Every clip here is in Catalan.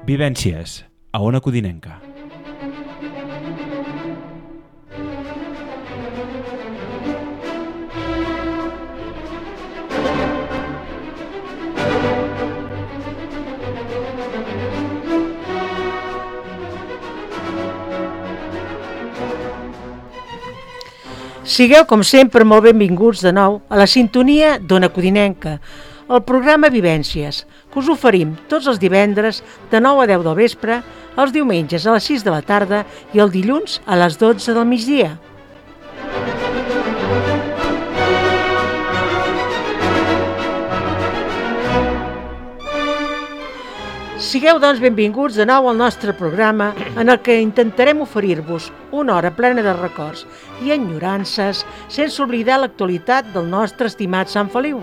Vivències, a Ona Codinenca. Sigueu, com sempre, molt benvinguts de nou a la sintonia d'Ona Codinenca, el programa Vivències, que us oferim tots els divendres de 9 a 10 del vespre, els diumenges a les 6 de la tarda i el dilluns a les 12 del migdia. Sigueu, doncs, benvinguts de nou al nostre programa en el que intentarem oferir-vos una hora plena de records i enyorances sense oblidar l'actualitat del nostre estimat Sant Feliu.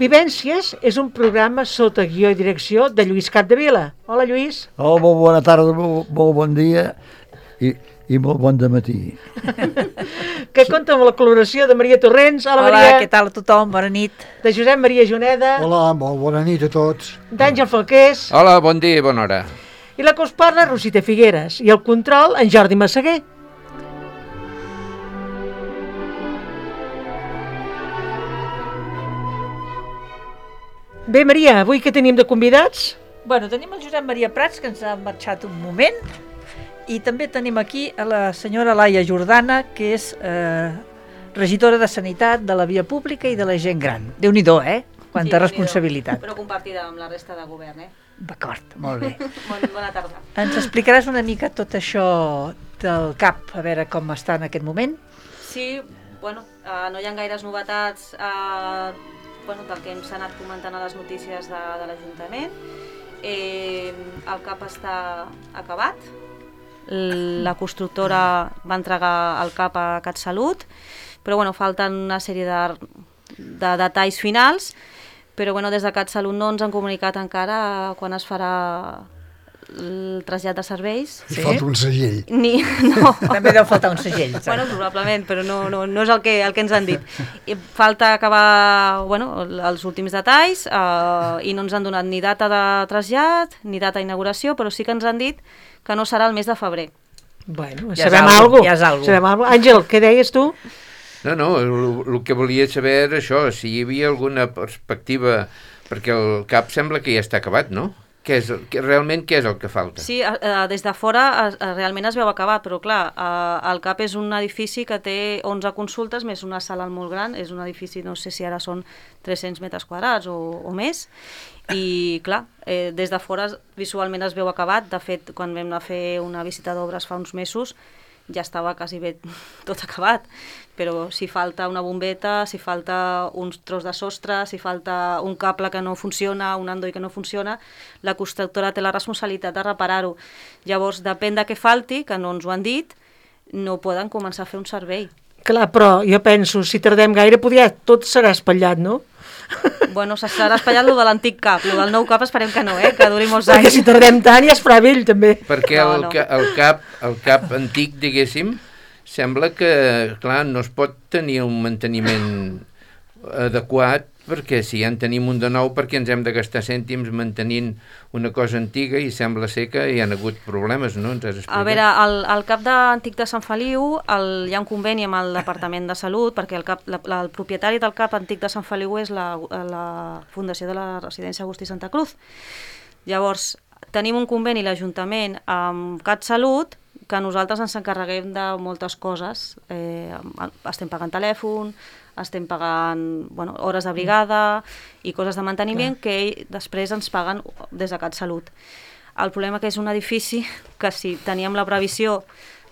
Vivències és un programa sota guió i direcció de Lluís Capdevila. Hola, Lluís. Hola, molt bona tarda, molt bon dia i molt bon dematí. Que compta amb la col·laboració de Maria Torrents. Hola, Hola, Maria. què tal a tothom? Bona nit. De Josep Maria Juneda. Hola, molt bona nit a tots. D'Àngel Falqués. Hola, bon dia i bona hora. I la que us parla, Rosita Figueres. I el control, en Jordi Massaguer. Bé, Maria, avui què tenim de convidats? Bueno, tenim el Josep Maria Prats, que ens ha marxat un moment, i també tenim aquí a la senyora Laia Jordana, que és regidora de Sanitat, de la Via Pública i de la gent gran. Déu-n'hi-do, Quanta responsabilitat. Però compartida amb la resta de govern, D'acord, molt bé. Bona tarda. Ens explicaràs una mica tot això del CAP, a veure com està en aquest moment? Sí, bueno, no hi ha gaires novetats del que ens ha anat comentant a les notícies de l'Ajuntament. El CAP està acabat. La constructora va entregar el CAP a CatSalut, però falten una sèrie de detalls finals, però des de CatSalut no ens han comunicat encara quan es farà el trasllat de serveis. Sí? Falta un segell. No. També deu faltar un segell. Probablement, però no és el que ens han dit. I falta acabar els últims detalls i no ens han donat ni data de trasllat ni data d'inauguració, però sí que ens han dit que no serà el mes de febrer. Bueno, sabem alguna cosa. Àngel, què deies tu? No, el que volia saber era això, si hi havia alguna perspectiva, perquè el CAP sembla que ja està acabat, no? Realment què és el que falta? Sí, des de fora realment es veu acabat, però clar, el CAP és un edifici que té 11 consultes més una sala molt gran, és un edifici, no sé si ara són 300 metres quadrats o més, i clar, des de fora visualment es veu acabat. De fet, quan vam anar a fer una visita d'obres fa uns mesos ja estava quasi bé tot acabat, però si falta una bombeta, si falta un tros de sostre, si falta un cable que no funciona, un endoll que no funciona, la constructora té la responsabilitat de reparar-ho. Llavors, depèn de què falti, que no ens ho han dit, no poden començar a fer un servei. Clar, però jo penso, si tardem gaire, tot serà espatllat, no? Bueno, s'ha espatllat lo de l'antic CAP, lo del nou CAP esperem que no, que duri molts anys. Perquè si tardem tant ja es farà vell, també. Perquè el CAP antic, diguéssim, sembla que, clar, no es pot tenir un manteniment adequat, perquè si ja en tenim un de nou, perquè ens hem de gastar cèntims mantenint una cosa antiga i sembla ser que hi ha hagut problemes, no? Ens has explicat? A veure, el CAP antic de Sant Feliu, hi ha un conveni amb el Departament de Salut, perquè el propietari del CAP antic de Sant Feliu és la Fundació de la Residència Agustí Santa Cruz. Llavors, tenim un conveni l'Ajuntament amb CatSalut, que nosaltres ens encarreguem de moltes coses. Estem pagant telèfon, estem pagant hores de brigada i coses de manteniment que després ens paguen des de CatSalut. El problema que és un edifici que si teníem la previsió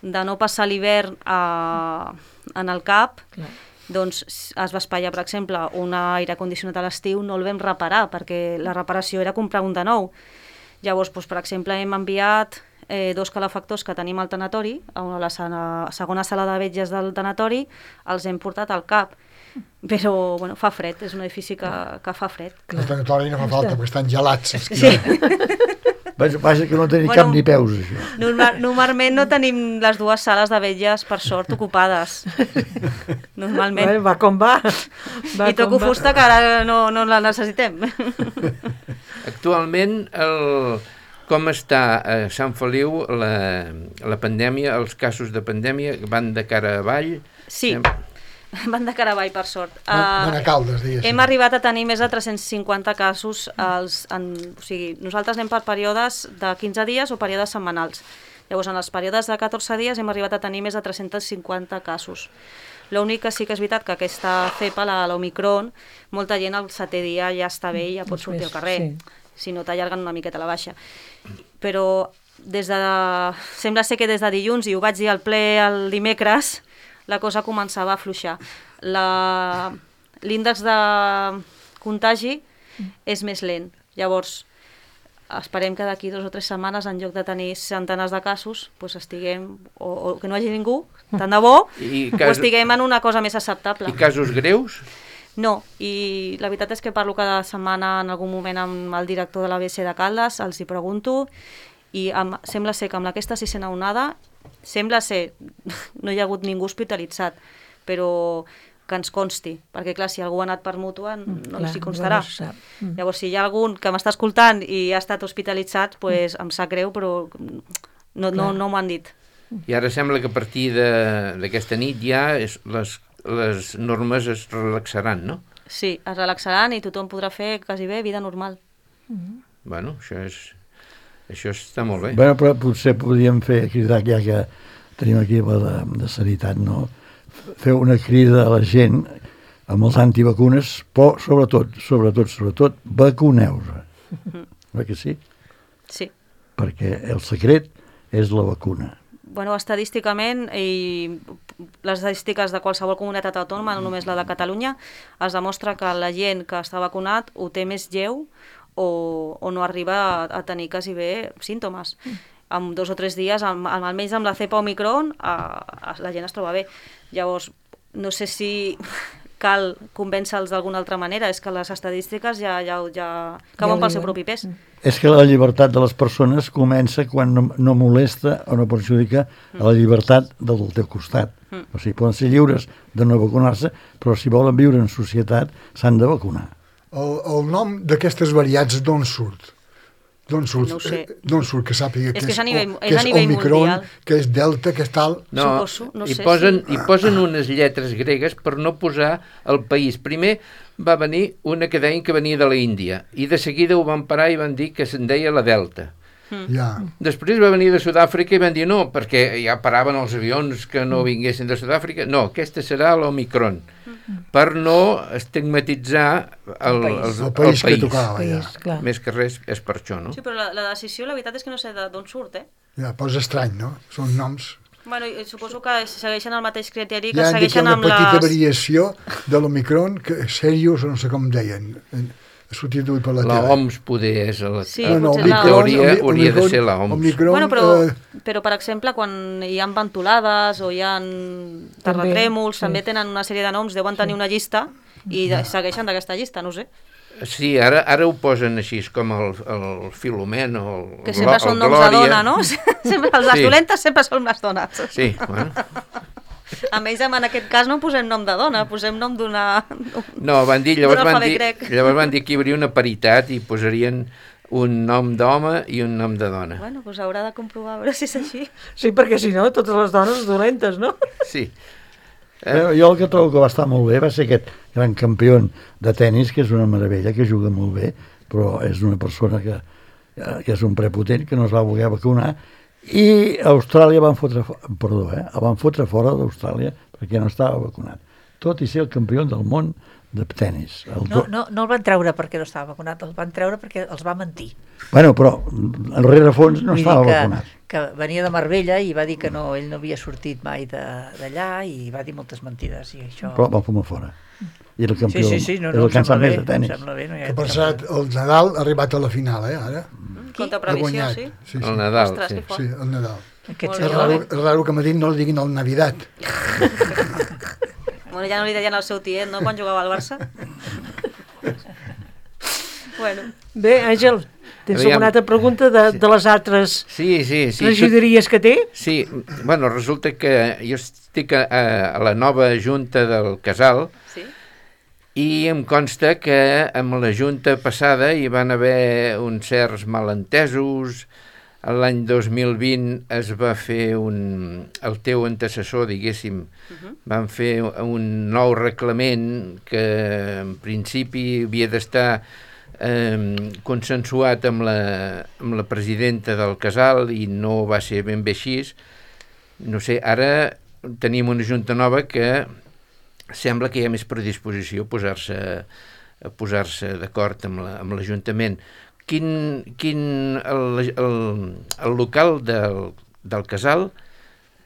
de no passar l'hivern en el CAP, doncs es va espatllar, per exemple, un aire condicionat a l'estiu, no el vam reparar perquè la reparació era comprar un de nou. Llavors, per exemple, hem enviat 2 calefactors que tenim al tanatori, a la segona sala de vetlles del tanatori, els hem portat al CAP. Però, bueno, fa fred, és un edifici que fa fred. El tanatori no fa falta, perquè estan gelats. Sí. Vaja que no tenia cap ni peus, això. Normalment no tenim les 2 sales de vetlles, per sort, ocupades. Normalment. Va com va. I toco fusta, que ara no la necessitem. Actualment, com està a Sant Feliu la pandèmia, els casos de pandèmia van de cara avall? Sí. Van de cara avall, per sort. Van a Caldes, diguéssim. Hem arribat a tenir més de 350 casos. O sigui, nosaltres anem per períodes de 15 dies o períodes setmanals. Llavors, en els períodes de 14 dies hem arribat a tenir més de 350 casos. L'únic que sí que és veritat que aquesta cepa, l'Omicron, molta gent al 7è dia ja està bé i ja pot sortir al carrer. Si no t'allarguen una miqueta la baixa. Però sembla ser que des de dilluns, i ho vaig dir al ple el dimecres, la cosa començava a afluixar. L'índex de contagi és més lent. Llavors, esperem que d'aquí 2 o 3 setmanes, en lloc de tenir centenars de casos, doncs estiguem, o que no hi hagi ningú, tant de bo, o estiguem en una cosa més acceptable. I casos greus? No, i la veritat és que parlo cada setmana en algun moment amb el director de l'ABC de Caldes, els hi pregunto, i sembla ser que amb aquesta 6a onada, sembla ser, no hi ha hagut ningú hospitalitzat, però que ens consti, perquè clar, si algú ha anat per mútua no s'hi constarà. Llavors, si hi ha algun que m'està escoltant i ha estat hospitalitzat, doncs em sap greu, però no m'ho han dit. I ara sembla que a partir d'aquesta nit ja les normes es relaxaran, no? Sí, es relaxaran i tothom podrà fer quasi bé vida normal. Bueno, això està molt bé. Bueno, però potser podríem cridar, ja que tenim aquí la de sanitat, no? Fer una crida a la gent amb els antivacunes, però sobretot, vacuneu-se. Oi que sí? Sí. Perquè el secret és la vacuna. Bueno, estadísticament, i les estadístiques de qualsevol comunitat autònoma, no només la de Catalunya, es demostra que la gent que està vacunat ho té més lleu o no arriba a tenir quasi bé símptomes. En 2 o 3 dies, almenys amb la cepa Omicron, la gent es troba bé. Llavors, no sé si cal convèncer-los d'alguna altra manera, és que les estadístiques ja cauen pel seu propi pes. És que la llibertat de les persones comença quan no molesta o no perjudica a la llibertat del teu costat. O sigui, poden ser lliures de no vacunar-se, però si volen viure en societat s'han de vacunar. El nom d'aquestes variants d'on surt? D'on surt? No ho sé. D'on surt, que sàpiga que és a nivell Omicron, mundial. que és Delta, que és tal? No, suposo, no hi sé. posen unes lletres gregues per no posar el país. Primer va venir una que deien que venia de la Índia i de seguida ho van parar i van dir que se'n deia la Delta. Ja. Després va venir de Sud-àfrica i van dir no, perquè ja paraven els avions que no vinguessin de Sud-àfrica. No, aquesta serà l'Omicron, per no estigmatitzar el país. Que tocava, ja. Més que res és per això, no? Sí, però la decisió, la veritat és que no sé d'on surt, Ja, però és estrany, no? Són noms... Bueno, suposo que segueixen el mateix criteri que Ja han dit que segueixen una amb petita variació de l'Omicron, que serios, no sé com deien, ha sortit avui per la tele. L'OMS poder és Sí, en potser teoria hauria de ser l'OMS. Omicron, però, per exemple, quan hi ha ventolades o hi ha terratrèmols, també tenen una sèrie de noms, deuen tenir una llista i segueixen d'aquesta llista, no ho sé. Sí, ara ho posen així, com el Filomen o el Que sempre són noms de dona, no? Les dolentes sempre són les dones. Sí, bueno. A més, en aquest cas no posem nom de dona, posem nom d'una... No, llavors van dir que hi hauria una paritat i posarien un nom d'home i un nom de dona. Bueno, doncs haurà de comprovar a veure si és així. Sí, perquè si no, totes les dones dolentes, no? Sí. Jo el que trobo que va estar molt bé va ser aquest gran campió de tennis, que és una meravella, que juga molt bé, però és una persona que és un prepotent, que no es va voler vacunar, i Austràlia van fotre fora d'Austràlia perquè no estava vacunat, tot i ser el campió del món de tennis. No el van treure perquè no estava vacunat, el van treure perquè els va mentir. Bueno, però en rerefons no estava vacunat. Que venia de Marbella i va dir que ell no havia sortit mai d'allà i va dir moltes mentides i això... Però van fumar fora. i el campió, Sí, no, és el que en sap més de em tenis. sembla bé, no hi ha Que per cert, el Nadal ha arribat a la final, ara. Contra Ha previsió, guanyat. sí? Sí, El Nadal, Ostres, sí. que fort. Sí, el Nadal. Aquest Molt És bé. senyor, raro, és raro que a Madrid no li diguin el Navidad. Bueno, ja no li deien al seu tiet, no?, quan jugava al Barça. Bueno, Bé, Àngel, tens Aviam. alguna altra pregunta de les altres Sí. regidories que té? Sí, bueno, resulta que jo estic a la nova junta del Casal sí? i em consta que amb la junta passada hi van haver uns certs malentesos. L'any 2020 es va fer el teu antecessor, diguéssim, van fer un nou reglament que en principi havia d'estar consensuat amb la presidenta del Casal i no va ser ben bé així. No sé, ara tenim una junta nova que sembla que hi ha més predisposició a posar-se d'acord amb l'Ajuntament. El local del Casal,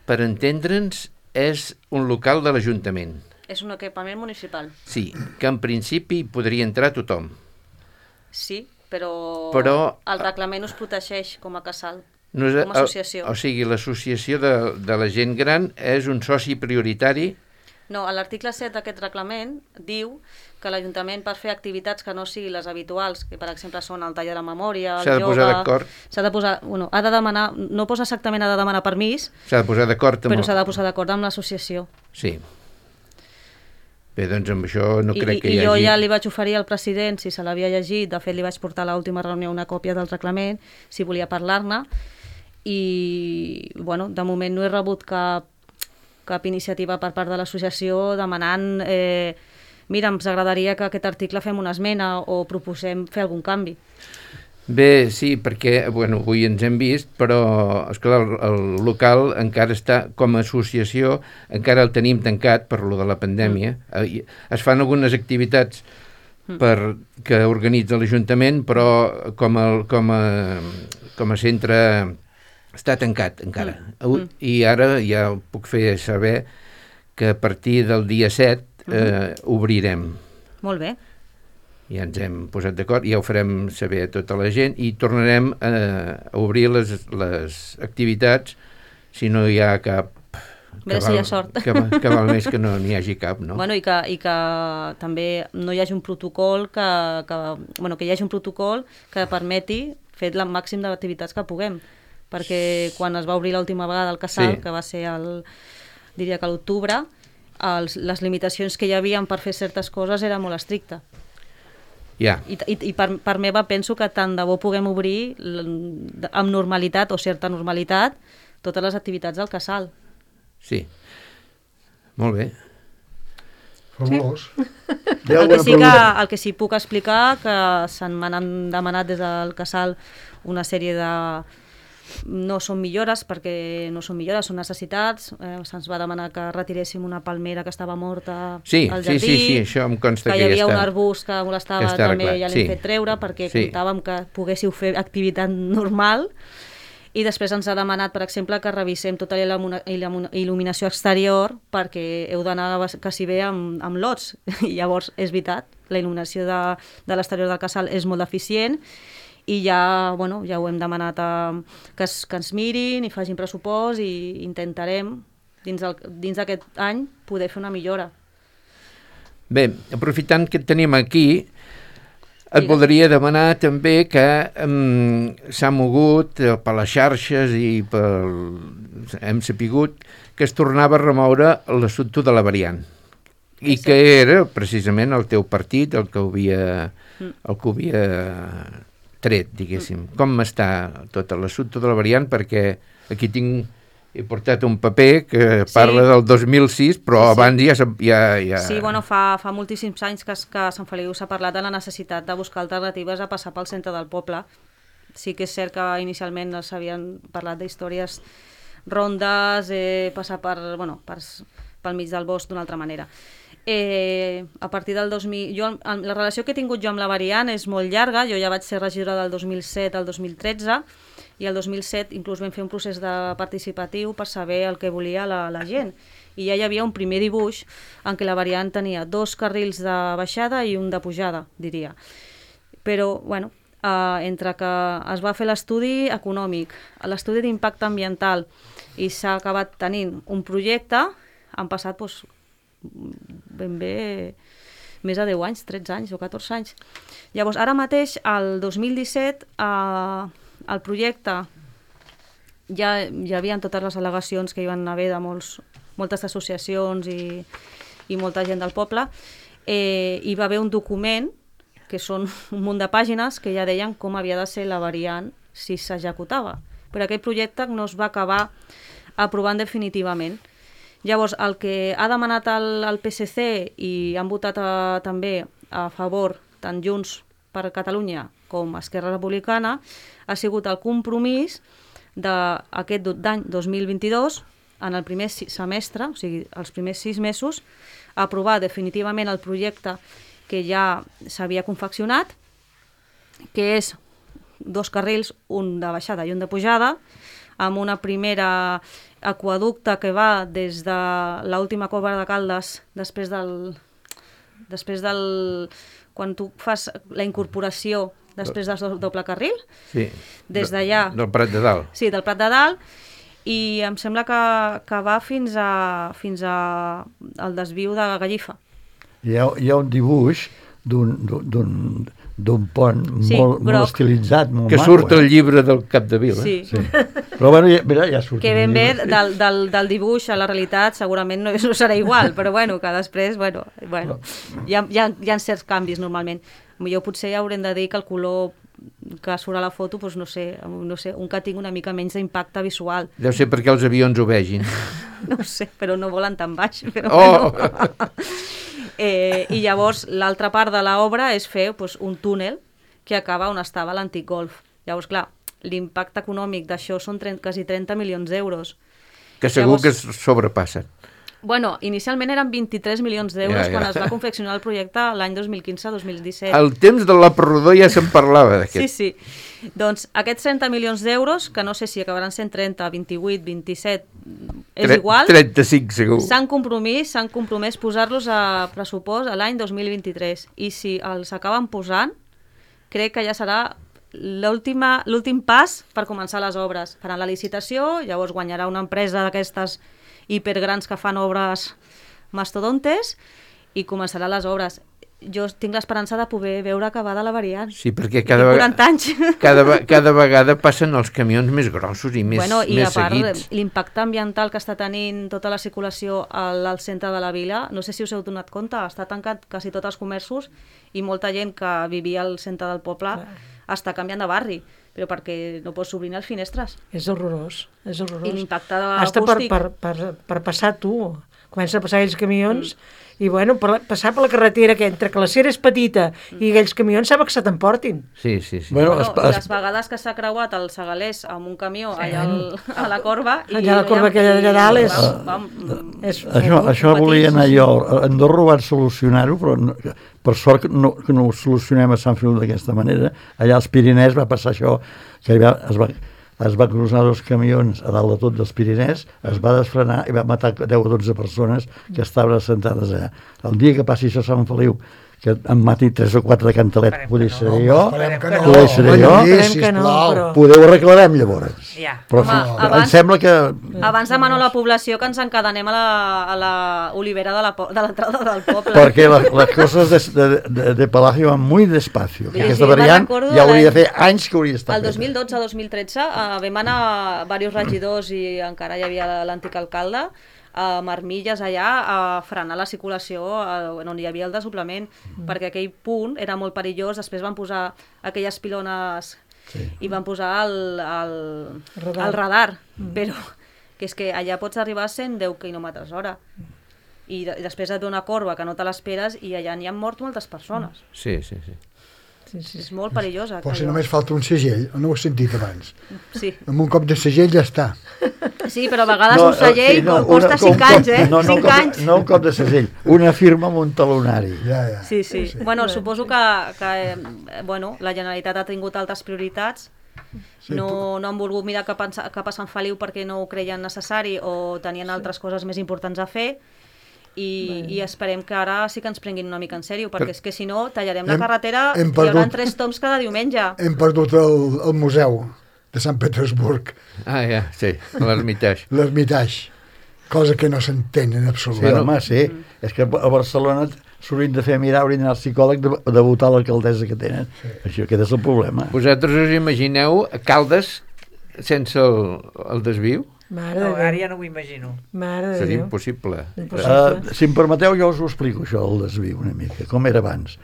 per entendre'ns, és un local de l'Ajuntament. És un equipament municipal. Sí, que en principi podria entrar tothom. Sí, però el reglament us protegeix com a casal, com a associació. O sigui, l'associació de la gent gran és un soci prioritari. No, l'article 7 d'aquest reglament diu que l'Ajuntament, per fer activitats que no siguin les habituals, que per exemple són el taller de la memòria, el S'ha de ioga... posar d'acord. S'ha de posar, bueno, ha de demanar, no posa exactament ha de demanar permís, S'ha de posar d'acord amb... però s'ha de posar d'acord amb l'associació. Sí. Bé, doncs amb això no crec que hi hagi... I jo ja li vaig oferir al president, si se l'havia llegit, de fet li vaig portar a l'última reunió una còpia del reglament, si volia parlar-ne, i bueno, de moment no he rebut cap iniciativa per part de l'associació demanant mira, ens agradaria que aquest article fem una esmena o proposem fer algun canvi. Bé, sí, perquè bueno, avui ens hem vist, però esclar, el local encara està com a associació, encara el tenim tancat per lo de la pandèmia. Es fan algunes activitats que organitza l'Ajuntament, però com a centre està tancat encara. I ara ja puc fer saber que a partir del dia 7 obrirem. Molt bé. Ja ens hem posat d'acord, ja ho farem saber a tota la gent i tornarem a obrir les activitats si no hi ha cap... Si hi ha sort. Que val més que no n'hi hagi cap, no? Bueno, i que també no hi hagi un protocol que hi hagi un protocol que permeti fer el màxim d'activitats que puguem, perquè quan es va obrir l'última vegada el Casal, que va ser diria que a l'octubre, les limitacions que hi havia per fer certes coses era molt estricta. I per meva penso que tant de bo puguem obrir amb normalitat o certa normalitat totes les activitats del Casal. Sí, molt bé. Fabulós. El que sí puc explicar que se'n m'han demanat des del Casal una sèrie de... No són millores, perquè no són millores, són necessitats. Se'ns va demanar que retiréssim una palmera que estava morta al jardí. Sí, això em consta que ja està. Que hi havia un arbust que molestava, també ja l'hem fet treure, perquè comptàvem que poguéssiu fer activitat normal. I després ens ha demanat, per exemple, que revisem tota la il·luminació exterior, perquè heu d'anar quasi bé amb lots. I llavors, és veritat, la il·luminació de l'exterior del Casal és molt deficient, i ja ho hem demanat que ens mirin i facin pressupost i intentarem dins d'aquest any poder fer una millora. Bé, aprofitant que et tenim aquí, et voldria demanar també que s'ha mogut per les xarxes i hem sapigut que es tornava a remoure l'assumpte de la variant i que era precisament el teu partit el que ho havia tret, diguéssim. Com està tot l'assumpte de la variant? Perquè aquí he portat un paper que parla del 2006, però abans ja... Sí, fa moltíssims anys que a Sant Feliu s'ha parlat de la necessitat de buscar alternatives a passar pel centre del poble. Sí que és cert que inicialment s'havien parlat d'històries rondes, passar pel mig del bosc d'una altra manera. A partir del 2000... la relació que he tingut jo amb la variant és molt llarga, jo ja vaig ser regidora del 2007 al 2013 i el 2007 inclús vam fer un procés participatiu per saber el que volia la gent. I ja hi havia un primer dibuix en què la variant tenia 2 carrils de baixada i un de pujada, diria. Però, bueno, entre que es va fer l'estudi econòmic, l'estudi d'impacte ambiental i s'ha acabat tenint un projecte, han passat ben bé més de 10 anys, 13 anys o 14 anys. Llavors, ara mateix, el 2017, el projecte ja hi havia totes les al·legacions que hi van haver de moltes associacions i molta gent del poble. Hi va haver un document, que són un munt de pàgines, que ja deien com havia de ser la variant si s'executava. Però aquest projecte no es va acabar aprovant definitivament. Llavors, el que ha demanat el PSC i han votat també a favor, tant Junts per Catalunya com Esquerra Republicana, ha sigut el compromís d'aquest d'any 2022, en el primer semestre, o sigui, els primers 6 mesos, aprovar definitivament el projecte que ja s'havia confeccionat, que és 2 carrils, un de baixada i un de pujada, amb una primera aqueducte que va des de l'última cova de Caldes, després del quan tu fas la incorporació després del doble carril, sí, des d'allà... Del Prat de Dalt. Sí, del Prat de Dalt, i em sembla que va fins al desviu de Gallifa. Hi ha un dibuix d'un pont molt estilitzat, molt que maco. Surt al llibre del Capdevila. Sí. Però bueno, mira, ja surt. Que ben bé del dibuix a la realitat segurament no serà igual, però bueno, que després, hi ha certs canvis normalment. Jo potser haurem de dir que el color que surt a la foto, doncs no sé, un que tingui una mica menys d'impacte visual. Deu ser perquè els avions ho vegin. No ho sé, però no volen tan baix. Però I llavors l'altra part de l'obra és fer un túnel que acaba on estava l'antic golf. Llavors, clar, l'impacte econòmic d'això són quasi 30 milions d'euros. Que segur que es sobrepassen. Bueno, inicialment eren 23 milions d'euros quan es va confeccionar el projecte l'any 2015-2017. Al temps de l'Aperrodó ja se'n parlava d'aquest. Sí. Doncs aquests 30 milions d'euros, que no sé si acabaran sent 30, 28, 27, és igual. 35 segur. S'han compromès posar-los a pressupost a l'any 2023. I si els acaben posant, crec que ja serà l'últim pas per començar les obres. Faran la licitació, llavors guanyarà una empresa d'aquestes hipergrans que fan obres mastodontes i començarà les obres. Jo tinc l'esperança de poder veure acabada la variant. Sí, perquè 40 anys. Cada vegada passen els camions més grossos i més seguits. I a part, l'impacte ambiental que està tenint tota la circulació al centre de la vila, no sé si us heu donat compte, està tancat quasi tots els comerços i molta gent que vivia al centre del poble està canviant de barri, però perquè no pots obrir els finestres. És horrorós. I l'impacte hasta acústic... per passar tu. Comença a passar aquells camions i, bueno, passar per la carretera que entre que la cera és petita i aquells camions sembla que se t'emportin. Sí. Bueno, les vegades que s'ha creuat el Segalers amb un camió allà a la corba... Allà la corba aquella d'allà dalt és... Això volia anar jo. A Andorra ho van solucionar-ho, però per sort que no ho solucionem a Sant Feliu d'aquesta manera. Allà als Pirinès va passar això, que es va cruzar 2 camions a dalt de tot dels Pirinès, es va desfrenar i va matar 10 o 12 persones que estaven assentades allà. El dia que passi això a Sant Feliu, que em mati 3 o 4 de Cantalet, poder ser jo, poder ho arreglarem llavors. Però em sembla que... Abans demano a la població que ens encadenem a la olivera de l'entrada del poble. Perquè les coses de Palacio van muy despacio. Aquesta variant ja hauria de fer anys que hauria estat. El 2012-2013 vam anar diversos regidors i encara hi havia l'antic alcalde a Marmilles allà a frenar la circulació on hi havia el desdoblament, perquè aquell punt era molt perillós. Després van posar aquelles pilones i van posar el radar, però que és que allà pots arribar a 110 km/h i després et ve una corba que no te l'esperes i allà n'hi han mort moltes persones. Sí. És molt perillosa. Però si només falta un segell, no ho he sentit abans. Sí. Amb un cop de segell ja està. Sí, però a vegades un segell costa 5 anys, eh? 5 anys. No un cop de segell, una firma amb un talonari. Sí. Bueno, suposo que la Generalitat ha tingut altres prioritats Sí, no han volgut mirar cap a Sant Feliu perquè no ho creien necessari o tenien altres coses més importants a fer, i esperem que ara sí que ens prenguin una mica en sèrio, perquè és que si no tallarem la carretera i hi haurà 3 toms cada diumenge. Hem perdut el museu de Sant Petersburg. Ah, ja, sí, l'Ermitage. L'Ermitage, cosa que no s'entén en absolut. Sí, home, sí. És que a Barcelona s'haurien de fer mirar, haurien d'anar al psicòleg de votar l'alcaldessa que tenen. Sí. Això, aquest és el problema. Vosaltres us imagineu Caldes sense el desviu? Mare No, de ara Déu. ja no ho imagino. Mare de Seria Déu. impossible. Si em permeteu, jo us ho explico, això, el desviu una mica, com era abans.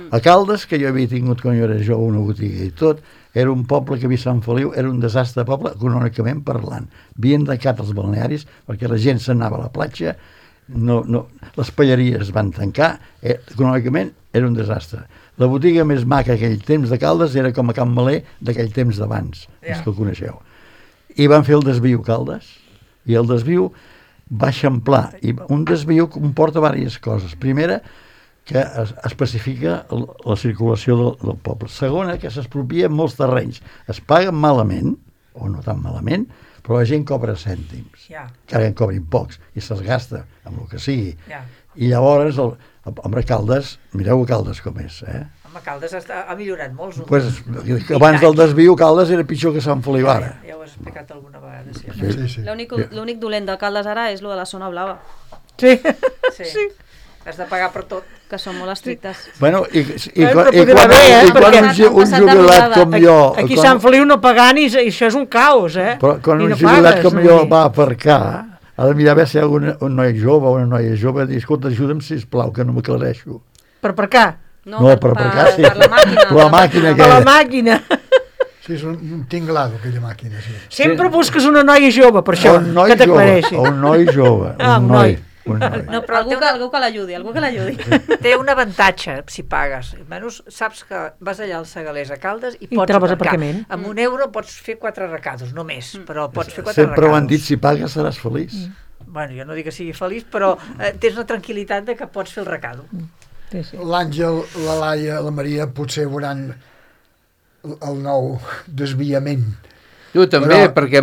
A Caldes, que jo havia tingut quan jo era jove una botiga i tot, era un poble que havia Sant Feliu, era un desastre de poble, econòmicament parlant. Havien tancat els balnearis perquè la gent s'anava a la platja, les palleries es van tancar, econòmicament era un desastre. La botiga més maca aquell temps de Caldes era com a Can Maler d'aquell temps d'abans, els que el coneixeu. I van fer el desviu Caldes, i el desviu va eixamplar, i un desviu comporta diverses coses. Primera, que es especifica la circulació del poble. Segona, que s'expropien molts terrenys. Es paguen malament, o no tan malament, però la gent cobra cèntims. Que ara en cobrin pocs, i se'ls gasta amb el que sigui. I llavors, home, Caldes, mireu Caldes com és, Home, Caldes ha millorat molt. Pues, abans del desviu, Caldes era pitjor que Sant Feliu ara. Ja ho has explicat alguna vegada, sí. Sí. L'únic dolent de Caldes ara és lo de la zona blava. Sí. Has de pagar per tot. Que són molt estrictes. Bueno, i Però quan podria haver, un perquè- jubilat com jo... Aquí a Sant Feliu no pagant i això és un caos, Però quan I un no jubilat pagues, com vull jo dir. va aparcar, ha de mirar a veure si hi ha un noi jove o una noia jove i dir, escolta, ajuda'm, sisplau, que no m'aclareixo. Per aparcar? No, per aparcar, sí. Per la màquina. La màquina Per la aquella. màquina. Sí, és un tinglado, aquella màquina, sí. Sempre busques una noia jove, per això, Un noi que jove, t'aclareixi. o un noi jove. Un noi. No, però algú que l'ajudi, Té un avantatge si pagues. Almenys saps que vas allà als Segalers a Caldes i pots trobes aparcar. aparcament. Amb €1 pots fer 4 recados, només, però pots fer 4 Sempre recados. ho han dit, si pagues seràs feliç. Bueno, jo no dic que sigui feliç, però tens la tranquil·litat de que pots fer el recado. Sí. L'Àngel, la Laia, la Maria potser veuran el nou desviament. Tu també, perquè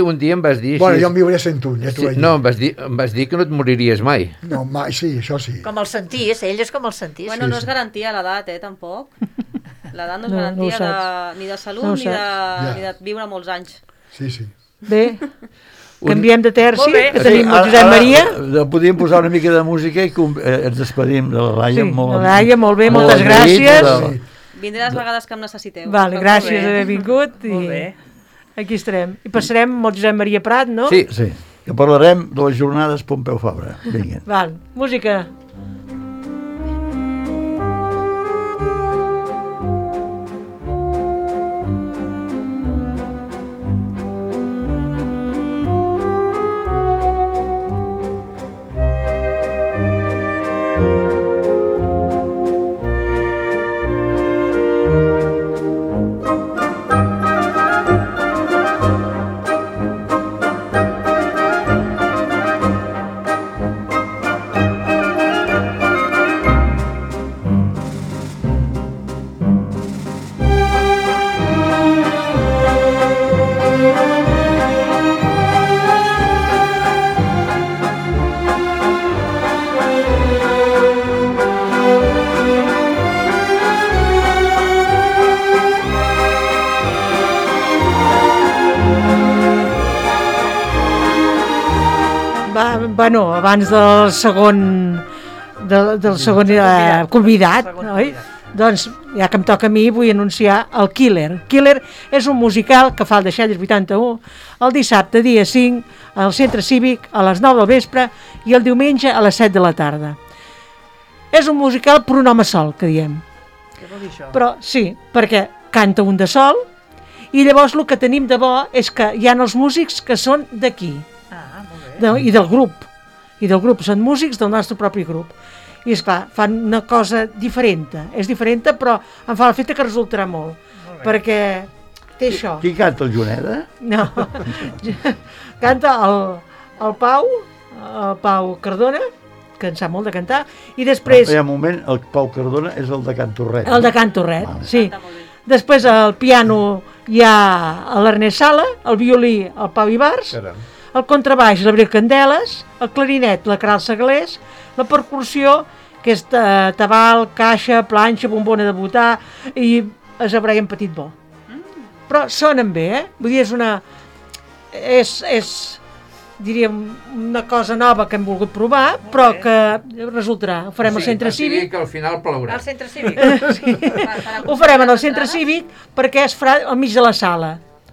un dia em vas dir... Bueno, així. jo en viuré 101, ja t'ho vaig dir. No, em vas dir que no et moriries mai. No, mai, sí, això sí. Com el sentís, ell és com el sentís. Bueno, no és garantia l'edat, tampoc. L'edat no és No, garantia no ho ni de salut No ho ni de viure molts anys. Sí, sí. Bé, canviem de terci, Molt bé. que tenim el Josep Maria. Podríem posar una mica de música i ens despedim de la Laia. Sí, la Laia, molt bé, moltes gràcies. Vindré les vegades que em necessiteu. Vale, gràcies d'haver vingut. Molt bé. Aquí estarem. I passarem amb el Josep Maria Prat, no? Sí, que parlarem de les jornades Pompeu Fabra. Vinga. Val, música. Bueno, abans del segon convidat, oi? Doncs, ja que em toca a mi, vull anunciar el Killer. Killer és un musical que fa el Deixalles 81 el dissabte, dia 5, al Centre Cívic, a les 9 del vespre, i el diumenge a les 7 de la tarda. És un musical per un home sol, que diem. Què vol dir això? Però sí, perquè canta un de sol, i llavors el que tenim de bo és que hi ha els músics que són d'aquí, i del grup. I del grup, són músics del nostre propi grup. I esclar, fan una cosa diferent. És diferent, però em fa l'efecte que resultarà molt. Perquè té això. Qui canta, el Juneda? No. Canta el Pau Cardona, que en sap molt de cantar, i després... Hi ha un moment, el Pau Cardona és el de Can Torret. El de Can Torret, sí. Després al piano hi ha l'Ernest Sala, el violí el Pau Ibars, el contrabaix l'Abril Candeles, el clarinet la Caral Segalés, la percussió que és tabal, caixa, planxa, bombona de butà i es Brian Petit Bo. Però sonen bé, vull dir, és diríem una cosa nova que hem volgut provar, però que resultarà. Ho farem al centre cívic. Que al final plourà. Al centre cívic. Sí. Ho farem al centre cívic perquè es farà al mig de la sala.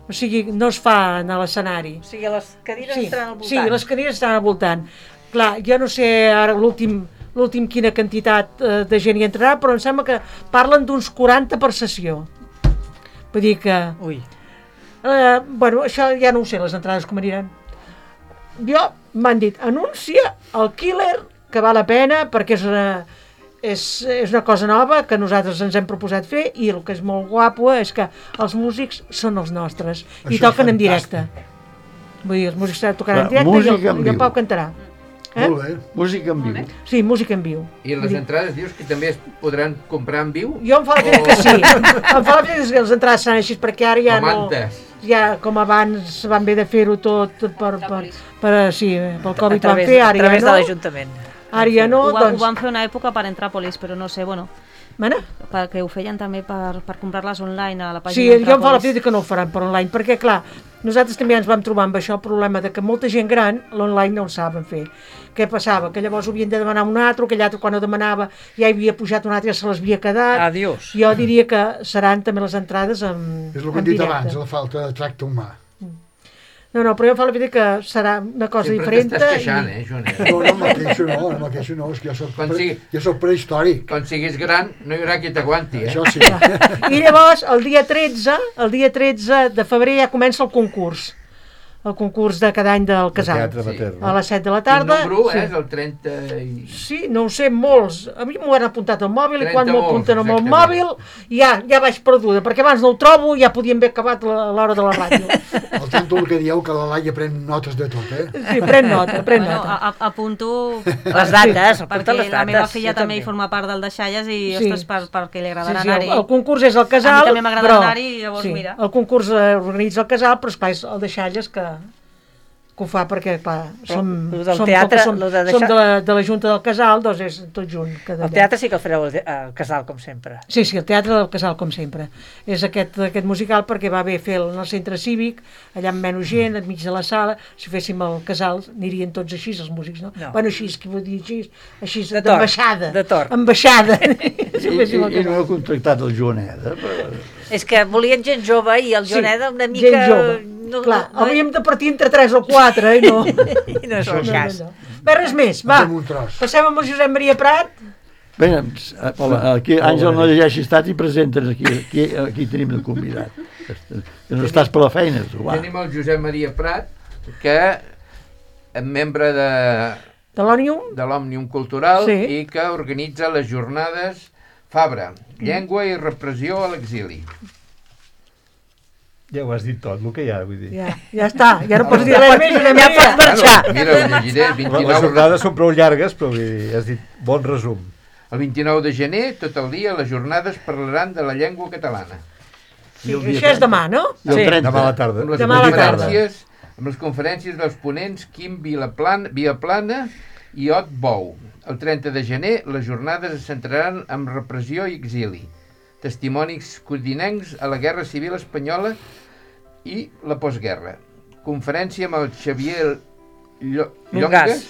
O sigui, no es fa a l'escenari. O sigui, les cadires estaran al voltant. Sí, les cadires estaran al voltant. Clar, jo no sé ara l'últim quina quantitat de gent hi entrarà, però em sembla que parlen d'uns 40 per sessió. Vull dir que... Ui. Bueno, això ja no ho sé, les entrades com aniran. Jo m'han dit, anuncia el Killer, que val la pena, perquè és una cosa nova que nosaltres ens hem proposat fer i el que és molt guapo és que els músics són els nostres i això toquen en directe. Vull dir, els músics tocaran en directe i el Pau cantarà. Molt bé. Música en viu. Sí, música en viu. I les entrades dius que també es podran comprar en viu? Jo em fa la idea que sí. Em fa la idea que les entrades seran així, perquè ara ja no... Ja, com abans van haver de fer-ho tot pel Covid van fer, ara ja no. A través de l'Ajuntament. Ara ja no, doncs... Ho van fer una època per Entràpolis, però no sé, bueno... Perquè ho feien també per comprar-les online a la pàgina d'Entràpolis. Sí, jo em fa la idea que no ho faran per online, perquè clar, nosaltres també ens vam trobar amb això el problema de que molta gent gran l'online no ho saben fer. Què passava? Que llavors ho havien de demanar un altre, aquell altre quan ho demanava ja hi havia pujat un altre i ja se les havia quedat. Adiós. Jo diria que seran també les entrades en directe. És el que hem dit abans, la falta de tracte humà. No, però jo em fa la idea que serà una cosa diferent. Sempre t'estàs queixant, Joanet? No me queixo no, és que jo soc prehistòric. Quan siguis gran no hi haurà qui t'aguanti, Això sí. I llavors, el dia 13 de febrer ja comença el concurs de cada any del casal. A les 7 de la tarda. Quin número és? El 30... Sí, no ho sé, molts. A mi m'ho han apuntat al mòbil i quan m'ho apunten amb el mòbil ja vaig perduda, perquè abans no el trobo i ja podíem haver acabat l'hora de la ràdio. Al tanto el que dieu que la Laia pren notes de tot, eh? Sí, pren nota. Apunto... Les dates, perquè la meva filla també hi forma part del Deixalles i, ostres, perquè li agradarà anar-hi. El concurs és el casal, a mi també m'agrada anar-hi i llavors mira. El concurs organitza el casal, però esclar, és el Deixalles que ho fa perquè, clar, som de la Junta del Casal, doncs és tot junt. El teatre sí que el fareu al casal, com sempre. Sí, el teatre del casal, com sempre. És aquest musical perquè va bé fer en el centre cívic, allà amb menys gent, enmig de la sala. Si féssim el casal, anirien tots així, els músics, no? Bueno, així, que vull dir així, d'ambaixada. De tor. Ambaixada. I no heu contractat el Joaneda? És que volien gent jove i el Joaneda una mica... Gent jove. Clar, hauríem de partir entre 3 o 4, i no... I no és el cas. Bé, res més, va. Passem amb el Josep Maria Prat. Bé, aquí Àngel no llegeixis tant i presenten aquí tenim el convidat. Que no estàs per la feina, tu, va. Tenim el Josep Maria Prat, que és membre de l'Òmnium Cultural i que organitza les jornades Fabra, Llengua i Repressió a l'exili. Ja ho has dit tot, el que hi ha, vull dir. Ja està, ja no pots dir res més, ja pots marxar. Mira, ho llegiré. Les jornades són prou llargues, però has dit bon resum. El 29 de gener, tot el dia, les jornades parlaran de la llengua catalana. Sí, això és demà, no? Sí, demà a la tarda. Amb les conferències dels ponents Quim Viaplana i Ot Bou. El 30 de gener, les jornades es centraran en repressió i exili. Testimonis codinencs a la Guerra Civil Espanyola i la postguerra. Conferència amb el Xavier Longas,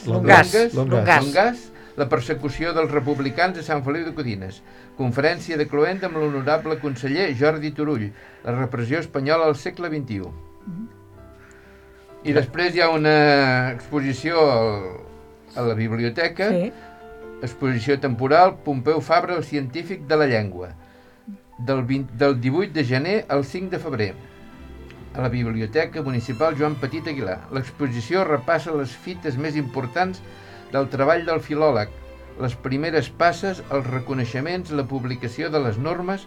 la persecució dels republicans a Sant Feliu de Codines. Conferència de Cloenda amb l'honorable conseller Jordi Turull, la repressió espanyola al segle XXI. I després hi ha una exposició a la biblioteca, exposició temporal Pompeu Fabra, el científic de la llengua. Del 18 de gener al 5 de febrer, a la Biblioteca Municipal Joan Petit Aguilar. L'exposició repassa les fites més importants del treball del filòleg, les primeres passes, els reconeixements, la publicació de les normes,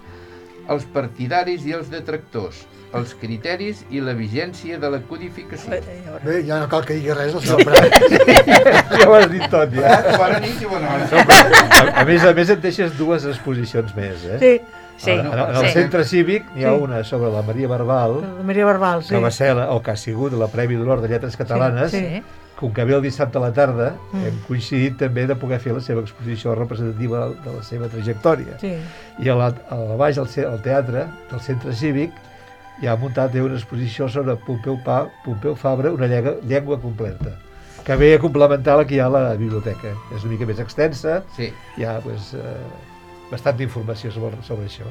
els partidaris i els detractors, els criteris i la vigència de la codificació. Bé, ja no cal que digui res, el senyor Prat. Ja ho has dit tot, ja. Bona nit i bona hora. A més, et deixes dues exposicions més, eh? Sí. Sí, En el centre cívic n'hi ha una sobre la Maria Barbal, La Maria Barbal, sí. que va ser, o que ha sigut la Premi d'Honor de Lletres Catalanes, Sí. com que ve el dissabte a la tarda, hem coincidit també de poder fer la seva exposició representativa de la seva trajectòria. Sí. I a baix, al teatre del centre cívic, hi ha muntat una exposició sobre Pompeu Fabra, una llengua completa, que ve a complementar la que hi ha a la biblioteca. És una mica més extensa, Sí. hi ha bastanta informació sobre això.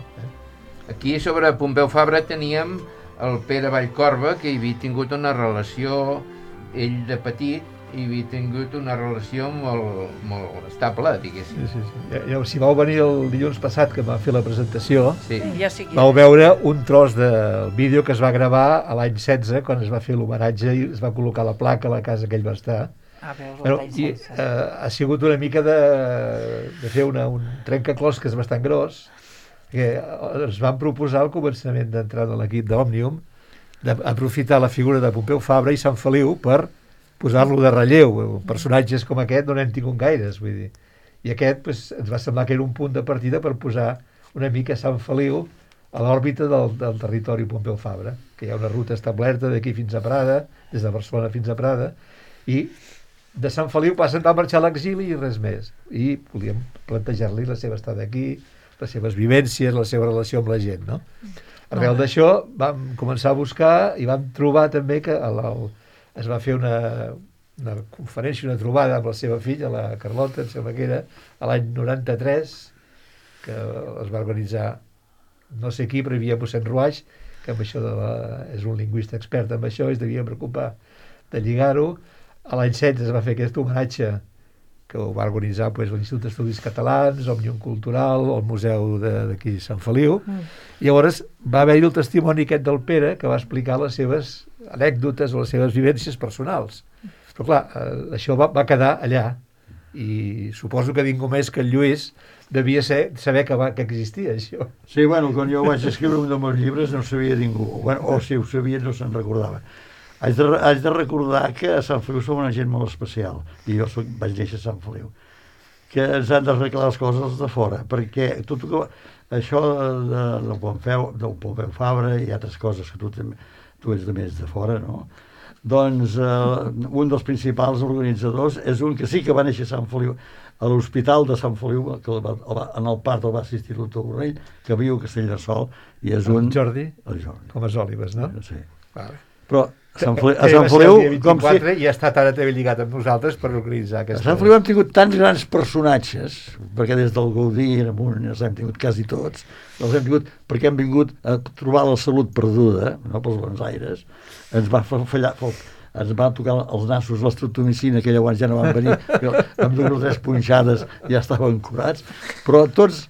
Aquí sobre Pompeu Fabra teníem el Pere Vallcorba, que hi havia tingut una relació, ell de petit, hi havia tingut una relació molt estable, diguéssim. Sí. Si vau venir el dilluns passat, que vam fer la presentació, Ja sí que... vau veure un tros del vídeo que es va gravar a l'any 16, quan es va fer l'homenatge i es va col·locar la placa a la casa que ell va estar. Ha sigut una mica de fer un trencaclosques bastant gros, que ens van proposar al començament d'entrar en l'equip d'Òmnium d'aprofitar la figura de Pompeu Fabra i Sant Feliu per posar-lo de relleu. Personatges com aquest no n'hem tingut gaires, vull dir. I aquest ens va semblar que era un punt de partida per posar una mica Sant Feliu a l'òrbita del territori Pompeu Fabra, que hi ha una ruta establerta d'aquí fins a Prada, des de Barcelona fins a Prada, i de Sant Feliu va marxar a l'exili i res més. I volíem plantejar-li la seva estada aquí, les seves vivències, la seva relació amb la gent, no? Arrel d'això vam començar a buscar i vam trobar també que es va fer una conferència, una trobada amb la seva filla, la Carlota, em sembla que era a l'any 93, que es va organitzar no sé qui, però hi havia mossèn Ruaix, que amb això és un lingüista expert en això, i es devia preocupar de lligar-ho. A l'any 16 es va fer aquest homenatge que ho va organitzar l'Institut d'Estudis Catalans, Òmnium Cultural, el Museu d'aquí Sant Feliu. I llavors va haver-hi el testimoni aquest del Pere, que va explicar les seves anècdotes o les seves vivències personals. Però clar, això va quedar allà, i suposo que ningú més que el Lluís devia saber que existia això. Sí, bueno, quan jo vaig escriure un dels meus llibres no ho sabia ningú, o si ho sabia no se'n recordava. Haig de recordar que a Sant Feliu som una gent molt especial, i jo vaig néixer a Sant Feliu, que ens han d'arreglar les coses de fora, perquè això del Pompeu Fabra i altres coses que tu ets de més de fora, no? Doncs un dels principals organitzadors és un que sí que va néixer a Sant Feliu, a l'Hospital de Sant Feliu, que en el part el va assistir el doctor Borrell, que viu a Castellterçol, i és un... El Jordi? El Jordi. Com a Òlives, no? Sí. Vale. Però a Sant Feliu, com si... I ha estat ara també lligat amb nosaltres per organitzar aquesta... A Sant Feliu hem tingut tants grans personatges, perquè des del Gaudí els hem tingut quasi tots, els hem tingut perquè hem vingut a trobar la salut perduda, no pels bons aires, ens va fallar... Ens van tocar els nassos l'estreptomicina, que llavors ja no van venir, amb 2 o 3 punxades ja estaven curats, però tots,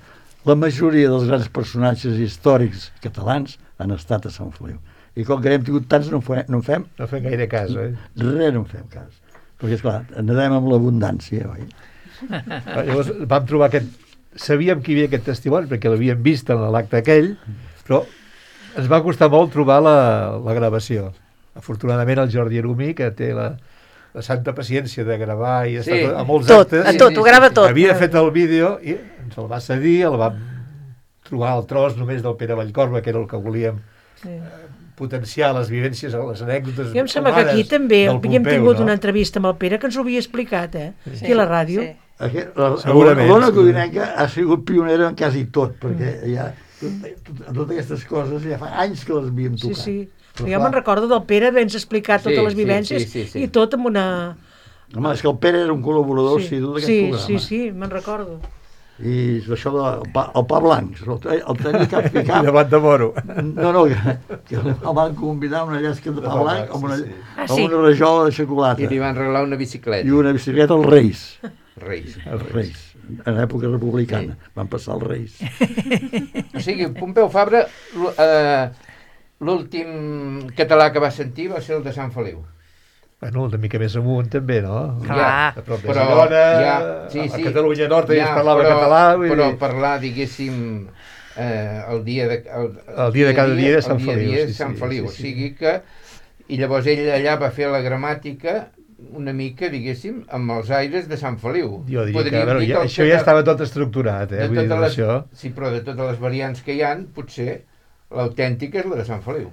la majoria dels grans personatges històrics catalans han estat a Sant Feliu. I com que n'hem tingut tants, no en fem... No fem gaire cas, oi? Res no en fem cas. Perquè, esclar, nedem amb l'abundància, oi? Llavors vam trobar sabíem que hi havia aquest testimoni, perquè l'havíem vist en l'acte aquell, però ens va costar molt trobar la gravació. Afortunadament el Jordi Arumí, que té la santa paciència de gravar i estar a molts actes, ho grava tot. Havia fet el vídeo i ens el va cedir, el vam trobar el tros només del Pere Vallcorba, que era el que volíem potenciar les vivències, les anècdotes. Jo em sembla que aquí també havíem tingut una entrevista amb el Pere que ens ho havia explicat, aquí a la ràdio. L'Ona Codinenca ha sigut pionera en quasi tot, perquè ja totes aquestes coses ja fa anys que les havíem tocat. Sí. Jo me'n recordo del Pere haver-nos explicat totes les vivències i tot amb una... Home, és que el Pere era un col·laborador d'aquest programa. Sí, me'n recordo. I això del pa blanc, el tenia cap picat. De blat de moro. No, que el van convidar una llesca de pa blanc amb una rajola de xocolata. I li van regalar una bicicleta. I una bicicleta als Reis. Reis. En època republicana. Van passar els Reis. O sigui, Pompeu Fabra... L'últim català que va sentir va ser el de Sant Feliu. Bueno, una mica més amunt també, no? Clar. A prop de Girona, a Catalunya Nord ja es parlava català. Però parlar, diguéssim, el dia de cada dia de Sant Feliu. O sigui que... I llavors ell allà va fer la gramàtica una mica, diguéssim, amb els aires de Sant Feliu. Jo diria que, a veure, això ja estava tot estructurat, vull dir, això. Sí, però de totes les variants que hi ha, potser l'autèntica és la de Sant Feliu.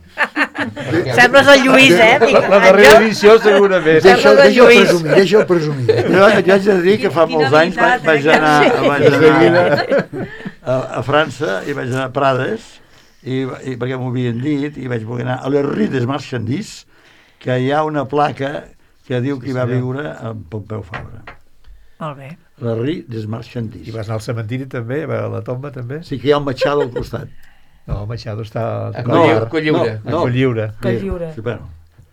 Sembles el Lluís, La darrera edició, segurament. Deixa'l presumir. Jo haig de dir que fa molts anys vaig anar a França i vaig anar a Prades, i perquè m'ho havien dit, i vaig voler anar a la Rue des Marchandises, que hi ha una placa que diu que hi va viure en Pompeu Fabra. Molt bé. La Rue des Marchandises. I vas anar al cementiri també, a la tomba també? Sí, que hi ha un Machado al costat. No, el Machado està a Colliure. A Colliure. Sí, bueno,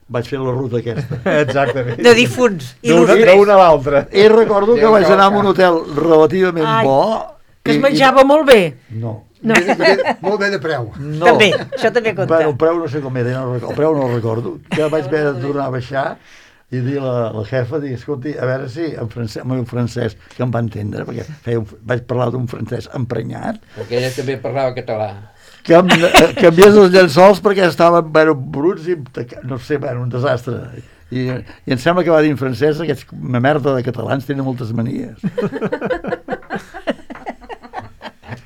vaig fer la ruta aquesta. Exactament. De difunts. D'una a l'altra. I recordo que vaig anar a un hotel relativament bo. Que es menjava molt bé. No. Molt bé de preu. No. També, això també compta. Bueno, el preu no sé com era, el preu no el recordo. Que vaig haver de tornar a baixar i dir a la jefa, escolti, a veure si en meu francès, que em va entendre, perquè vaig parlar d'un francès emprenyat. Perquè ella també parlava català. Que canviés els llençols perquè estaven bruts i no sé, un desastre. I em sembla que va dir en francès, aquests merda de catalans tenen moltes manies.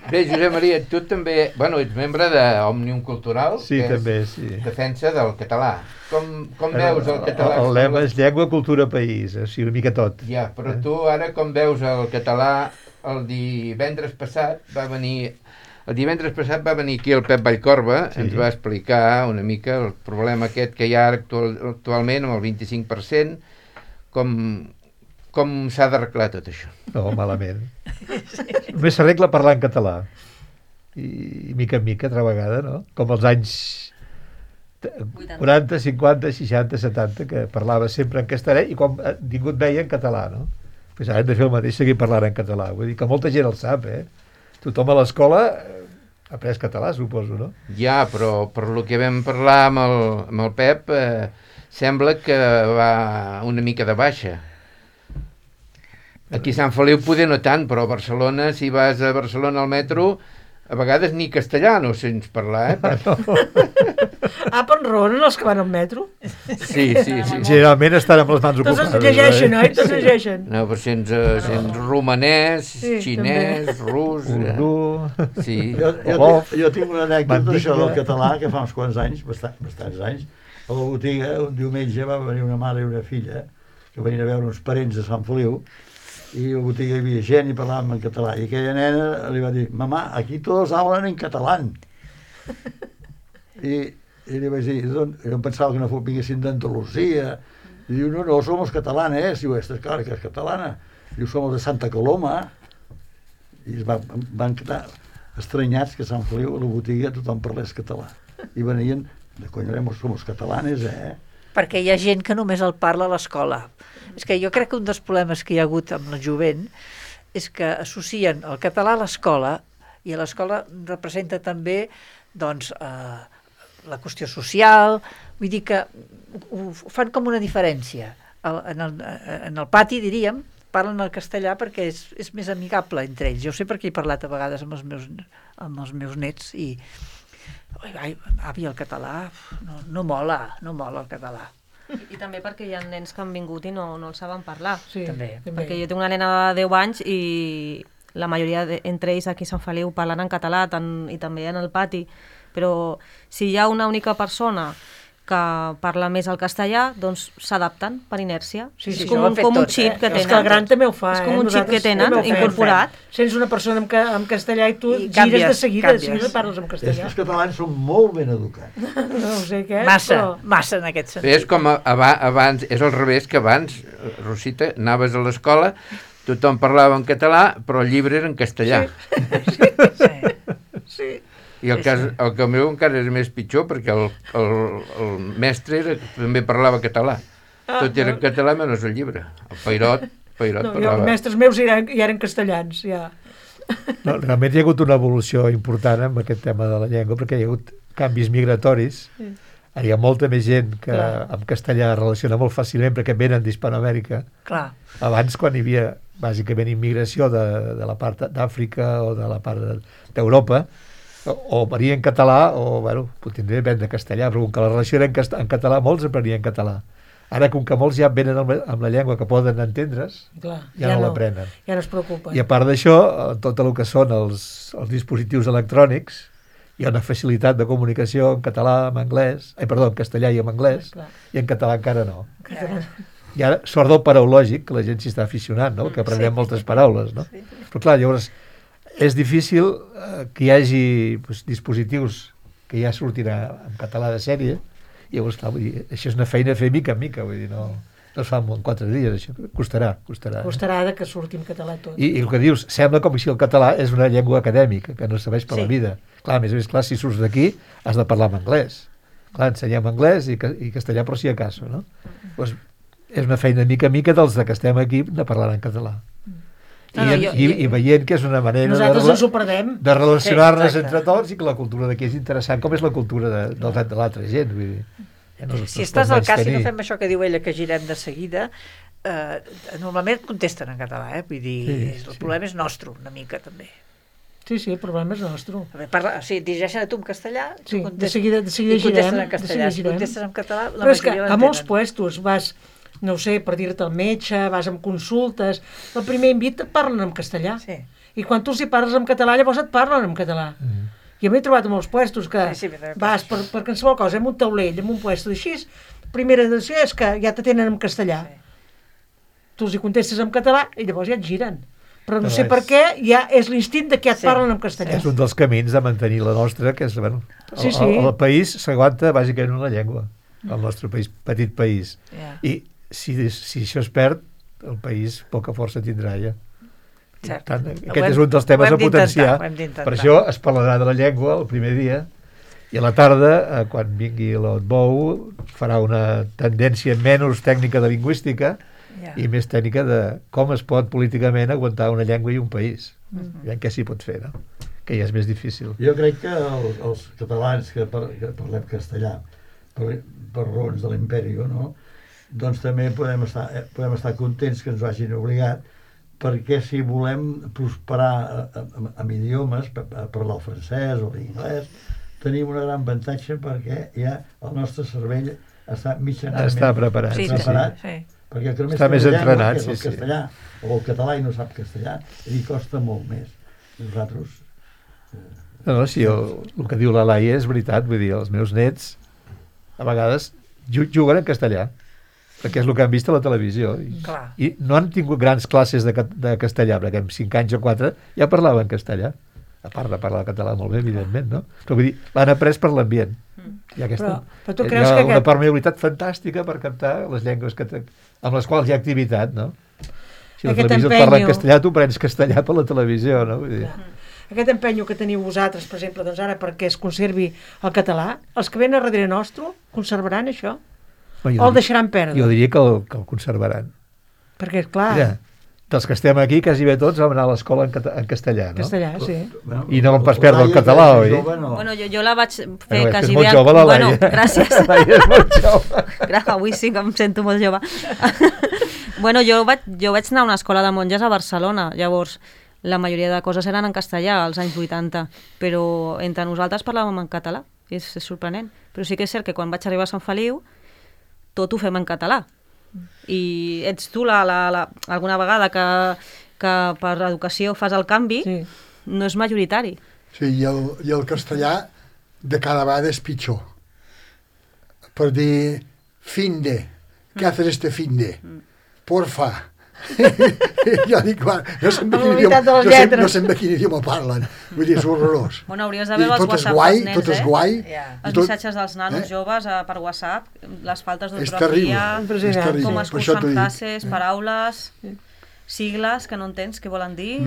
Bé, Josep Maria, tu també, ets membre d'Òmnium Cultural, sí, que també, és defensa del català. Com veus el català? El lema és llengua, cultura, país, així una mica tot. Ja, però tu ara com veus el català? El divendres passat va venir aquí el Pep Vallcorba, ens va explicar una mica el problema aquest que hi ha actualment amb el 25%, com s'ha d'arreglar tot això. No, malament. Només s'arregla parlar en català. I mica en mica, altra vegada, no? Com els anys 40, 50, 60, 70, que parlava sempre en castellà i quan ningú et veia en català, no? Pues ara hem de fer el mateix, seguir parlant en català. Vull dir que molta gent el sap, Tothom a l'escola ha après català, suposo, no? Ja, però per lo que vam parlar amb el Pep, sembla que va una mica de baixa. Aquí a Sant Feliu poder no tant, però a Barcelona, si vas a Barcelona al metro, a vegades ni castellà no sents parlar, però enraonen els que van al metro? Sí. Generalment estan amb les mans ocupades. Tots es llegeixen, oi? Tots llegeixen. No, però sents romanès, xinès, rus... Urdú... Sí. Jo tinc una anècdota d'això del català, que fa uns quants anys, bastants anys, a la botiga, un diumenge va venir una mare i una filla, que venien a veure uns parents de Sant Feliu, i a la botiga hi havia gent i parlàvem en català, i aquella nena li va dir, mamà, aquí tots hablan en català. I li vaig dir, jo em pensava que no vinguessin d'Andalusia, i diu, no, somos catalanes, diu, esta, claro que és catalana, diu, somos de Santa Coloma, i van quedar estranyats que a Sant Feliu, a la botiga, tothom parlés català, i venien, de coño, somos catalanes, Perquè hi ha gent que només el parla a l'escola. És que jo crec que un dels problemes que hi ha hagut amb el jovent és que associen el català a l'escola, i a l'escola representa també doncs, la qüestió social, vull dir que ho fan com una diferència. En el pati, diríem, parlen el castellà perquè és més amigable entre ells. Jo sé perquè he parlat a vegades amb els meus nets i avi, el català no mola el català. I també perquè hi ha nens que han vingut i no el saben parlar. Sí, també. Perquè jo tinc una nena de 10 anys i la majoria entre ells aquí a Sant Feliu parlen en català i també en el pati, però si hi ha una única persona que parla més el castellà, doncs s'adapten per inèrcia. Sí, és com un xip que tenen. És que el gran també ho fa. És com un xip que tenen incorporat. Sents una persona en castellà i tu gires de seguida i parles en castellà. Els catalans són molt ben educats. No sé què. Massa en aquest sentit. És com abans, és al revés que abans, Rosita, anaves a l'escola, tothom parlava en català, però el llibre era en castellà. Sí. I el que meu encara és més pitjor, perquè el mestre també parlava català. Tot era en català menys el llibre. El Peirot parlava. Els mestres meus ja eren castellans, ja. No, realment hi ha hagut una evolució important amb aquest tema de la llengua, perquè hi ha hagut canvis migratoris. Ara hi ha molta més gent que amb castellà es relaciona molt fàcilment perquè venen d'Hispanoamèrica. Clar. Abans, quan hi havia bàsicament immigració de la part d'Àfrica o de la part d'Europa, o venia en català o, bueno, potser depèn de castellà, però com que la relació era en català, molts aprenien català. Ara, com que molts ja venen amb la llengua que poden entendre's, ja no l'aprenen. Ja no es preocupen. I a part d'això, tot el que són els dispositius electrònics, hi ha una facilitat de comunicació en català, en anglès, en castellà i en anglès, i en català encara no. I ara, sort del paraulògic, que la gent s'hi està aficionant, no? Que aprenem moltes paraules, no? Però clar, llavors, és difícil que hi hagi dispositius que ja sortin en català de sèrie, i llavors, clar, vull dir, això és una feina a fer mica en mica, vull dir, no es fa en 4 dies, això costarà. Costarà que surti en català tot. I el que dius, sembla com si el català és una llengua acadèmica, que no serveix per la vida. Clar, a més, clar, si surts d'aquí has de parlar en anglès. Clar, ensenyem anglès i castellà, però si acaso, no? Doncs és una feina mica en mica dels que estem aquí de parlar en català. I veient que és una manera de relacionar-nos entre tots i que la cultura d'aquí és interessant, com és la cultura de l'altra gent. Vull dir, si estàs al cas i no fem això que diu ella, que girem de seguida, normalment contesten en català, vull dir, el problema és nostre, una mica també. Sí, el problema és nostre. Dirigeixen a tu en castellà, de seguida contesten en castellà. Si contestes en català, la majoria l'entenen. Però és que a molts puestos vas, no sé, per dir-te al metge, vas amb consultes, el primer invit et parlen en castellà. I quan tu els hi parles en català, llavors et parlen en català. I m'he trobat a molts puestos que vas per qualsevol cosa, amb un taulell, amb un puesto així, primera decisió és que ja t'atenen en castellà. Tu els hi contestes en català i llavors ja et giren. Però no sé per què, ja és l'instint de que et parlen en castellà. És un dels camins de mantenir la nostra, que és, bueno, el país s'aguanta bàsicament en la llengua, el nostre país, petit país. I si això es perd, el país poca força tindrà ja. Tant, aquest és un dels temes a potenciar. Per això es parlarà de la llengua el primer dia i a la tarda, quan vingui l'Otbou, farà una tendència menys tècnica de lingüística i més tècnica de com es pot políticament aguantar una llengua i un país. Veiem què s'hi pot fer, no? Que ja és més difícil. Jo crec que els catalans que parlem castellà per raons de l'imperi, no? Doncs també podem estar contents que ens ho hagin obligat, perquè si volem prosperar amb idiomes, parlar el francès o l'inglès, tenim un gran avantatge perquè ja el nostre cervell està mitjanament preparat. Perquè que només està més entrenat, que és el castellà o el català i no sap castellà, li costa molt més. Nosaltres... No, sí, el que diu la Laia és veritat, vull dir, els meus nets a vegades juguen en castellà, perquè és el que han vist a la televisió. I no han tingut grans classes de castellà, perquè amb 5 anys o 4 ja parlaven castellà. A part de parlar català molt bé, evidentment, no? Però vull dir, l'han après per l'ambient. Hi ha una permeabilitat fantàstica per captar les llengües amb les quals hi ha activitat, no? Si la televisió et parla en castellà, tu prens castellà per la televisió, no? Vull dir... Aquest empenyo que teniu vosaltres, per exemple, doncs ara perquè es conservi el català, els que venen a darrere nostre conservaran això? O el deixaran perdre? Jo diria que el conservaran. Perquè, clar... Mira, dels que estem aquí, quasi bé tots vam anar a l'escola en castellà, no? Castellà, sí. I no vam pas perdre el català, oi? Bueno, jo la vaig fer quasi bé... És molt jove, la Laia. Bueno, gràcies. La Laia és molt jove. Avui sí que em sento molt jove. Bueno, jo vaig anar a una escola de monges a Barcelona, llavors la majoria de coses eren en castellà als anys 80, però entre nosaltres parlàvem en català, és sorprenent. Però sí que és cert que quan vaig arribar a Sant Feliu tot ho fem en català. I ets tu alguna vegada que per educació fas el canvi, no és majoritari. Sí, i el castellà de cada vegada és pitjor. Per dir fin de, què haces este fin de? Porfa. Jo dic, no sé de quin idioma parlen, vull dir, és horrorós. Bueno, hauries de veure els WhatsApp dels nens, tot és guai. Els missatges dels nanos joves per WhatsApp, les faltes d'ortografia, com es cursen frases, paraules, sigles que no entens què volen dir.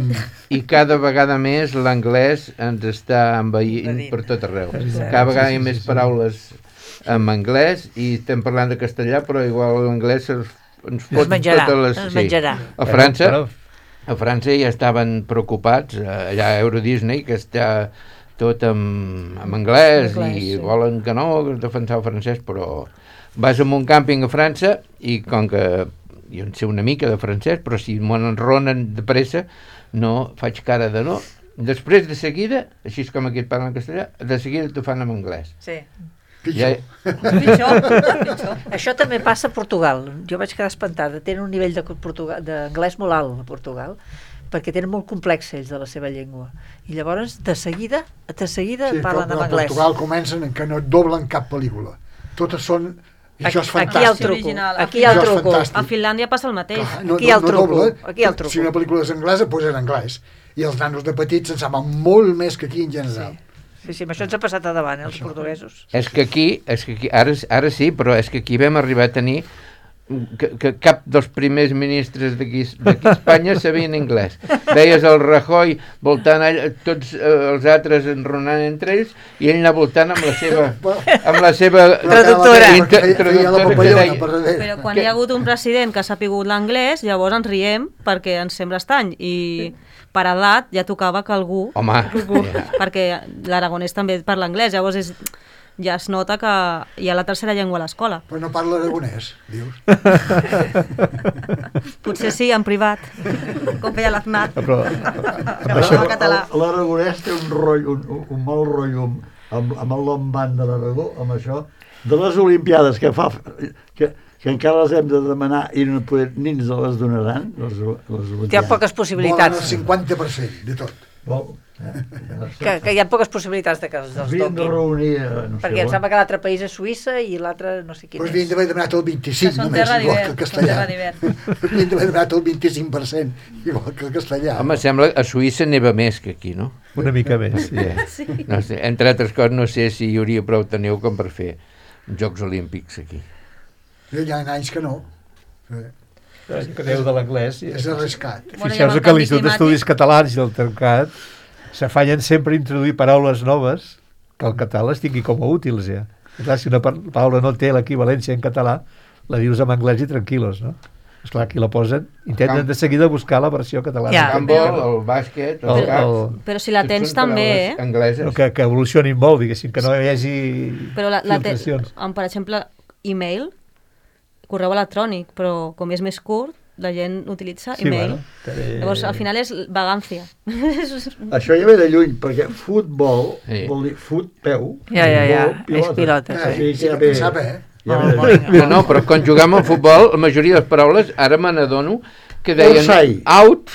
I cada vegada més l'anglès ens està envaint per tot arreu. Cada vegada hi ha més paraules en anglès i estem parlant de castellà, però igual l'anglès ens fot totes les... A França ja estaven preocupats, allà a Euro Disney, que està tot en anglès i volen que no defensar el francès, però vas a un càmping a França i com que jo en sé una mica de francès, però si m'ho enronen de pressa no faig cara de no. Després de seguida, així com aquí et parlen en castellà, de seguida t'ho fan en anglès. Sí. Pitjor. Pitjor. Això també passa a Portugal. Jo vaig quedar espantada. Tenen un nivell d'anglès molt alt a Portugal, perquè tenen molt complex ells de la seva llengua. I llavors, de seguida parlen en anglès. A Portugal comencen que no et doblen cap pel·lícula. Totes són... I això és Aquí hi ha el fantàstic. truco. Aquí hi ha el Això és truco. fantàstic. A Finlàndia passa el mateix. Clar, Aquí hi ha el truco. dobla. Aquí hi ha el truco. Si una pel·lícula és anglesa, doncs en anglès. I els nanos de petits se'n saben molt més que aquí en general. Sí, amb això ens ha passat a davant, els portuguesos. És que aquí ara sí, però és que aquí vam arribar a tenir que cap dels primers ministres d'aquí a Espanya sabien anglès. Veies el Rajoy voltant tots els altres enronant entre ells i ell anar voltant amb la seva Traductora. Però quan hi ha hagut un president que ha sapigut l'anglès, llavors ens riem perquè ens sembla estrany i per edat ja tocava que algú... Home, perquè l'aragonès també parla anglès, llavors ja es nota que hi ha la tercera llengua a l'escola. Però no parla aragonès, dius? Potser sí, en privat, com feia l'Aznat. Però l'aragonès té un rotllo, un mal rotllo amb el lombant de l'Aragó, amb això, de les Olimpiades que fa... que encara les hem de demanar i ni ens les donaran, les Olimpiades. Hi ha poques possibilitats. Volen el 50% de tot. Que hi ha poques possibilitats de que els Havien de toquin. reunir... Perquè em sembla que l'altre país és Suïssa i l'altre no sé quin Doncs és. havien d'haver demanat el 25% només, igual que el castellà. Havien d'haver demanat el 25%, igual que el castellà. home, sembla que a Suïssa neva més que aquí, no? una mica més. Sí. No sé, entre altres coses, no sé si hi hauria prou de neu com per fer Jocs Olímpics aquí. Hi ha anys que no. Que deu de l'anglès. És arriscat. Fixeu-vos que l'Institut d'Estudis Catalans i el Tercat s'afallen sempre a introduir paraules noves que el català les tingui com a útils, ja. I clar, si una paraula no té l'equivalència en català, la dius en anglès i tranquil·los, no? Esclar, aquí la posen, intenten de seguida buscar la versió catalana. Ja. El handbol, el bàsquet, el cap... Però si la tens també, angleses. Que evolucionin molt, diguéssim, que no hi hagi Però filtracions. per exemple, e-mail, correu electrònic, però com és més curt, la gent utilitza e-mail. Llavors, al final és vagancia. Això ja ve de lluny, perquè futbol vol dir peu. Ja, és pilota. Sí que sap, No, però quan jugàvem al futbol, la majoria de les paraules, ara me n'adono, que deien out,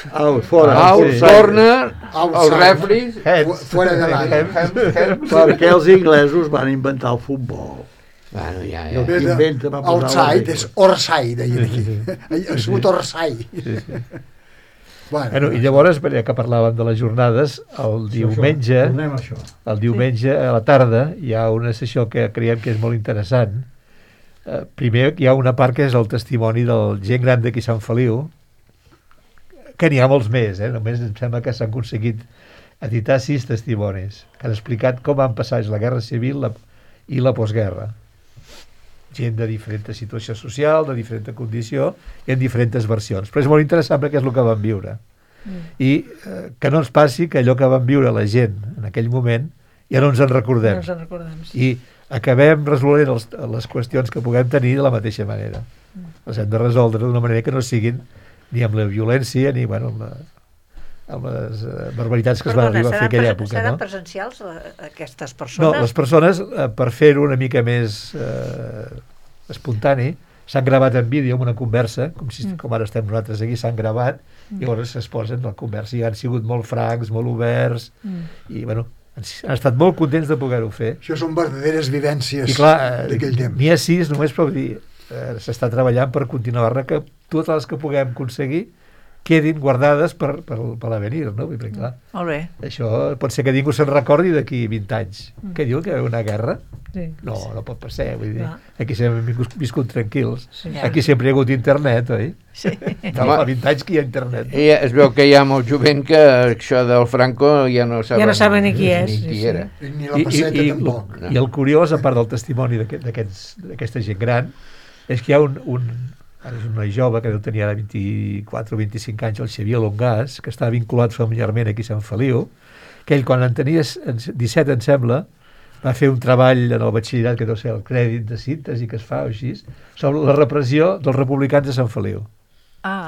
corner, el referee, fora de l'àrea. Perquè els inglesos van inventar el futbol. Bueno, ja. Outside és orside, deien aquí. Ha sigut orside. Bueno, i llavors, ja que parlàvem de les jornades, el diumenge a la tarda hi ha una sessió que creiem que és molt interessant. Primer hi ha una part que és el testimoni del gent gran d'aquí Sant Feliu, que n'hi ha molts més, només em sembla que s'han aconseguit editar 6 testimonis que han explicat com han passat la Guerra Civil i la postguerra. Gent de diferent situació social, de diferent condició i en diferents versions. Però és molt interessant perquè és el que van viure. I que no ens passi que allò que van viure la gent en aquell moment ja no ens en recordem. I acabem resolent les qüestions que puguem tenir de la mateixa manera. Les hem de resoldre d'una manera que no siguin ni amb la violència ni amb les barbaritats que es van arribar a fer aquella època. Seran presencials aquestes persones? No, les persones, per fer-ho una mica més espontani, s'han gravat en vídeo amb una conversa, com ara estem nosaltres aquí, s'han gravat, i llavors es posen la conversa, i han sigut molt francs, molt oberts, i han estat molt contents de poder-ho fer. Això són verdaderes vivències d'aquell temps. N'hi ha 6, només per dir, s'està treballant per continuar-ne, que totes les que puguem aconseguir quedin guardades per l'avenir, no? Perquè, clar, molt bé. Això pot ser que ningú se'n recordi d'aquí 20 anys. Què diu, que hi ha una guerra? Sí. No pot passar, vull dir. Aquí sempre hem viscut tranquils. Sí. Aquí sempre hi ha hagut internet, oi? Sí. Fa 20 anys que hi ha internet. I es veu que hi ha molt jovent que això del Franco ja no saben ni qui és. Ni qui era. Ni la passeta tampoc. I el curiós, a part del testimoni d'aquesta gent gran, és que hi ha ara és un noi jove que deu tenir ara 24 o 25 anys, el Xavier Longàs, que està vinculat familiarment aquí a Sant Feliu, que ell quan en tenia 17, em sembla, va fer un treball en el batxillerat, que deu ser el crèdit de síntesi que es fa o així, sobre la repressió dels republicans de Sant Feliu.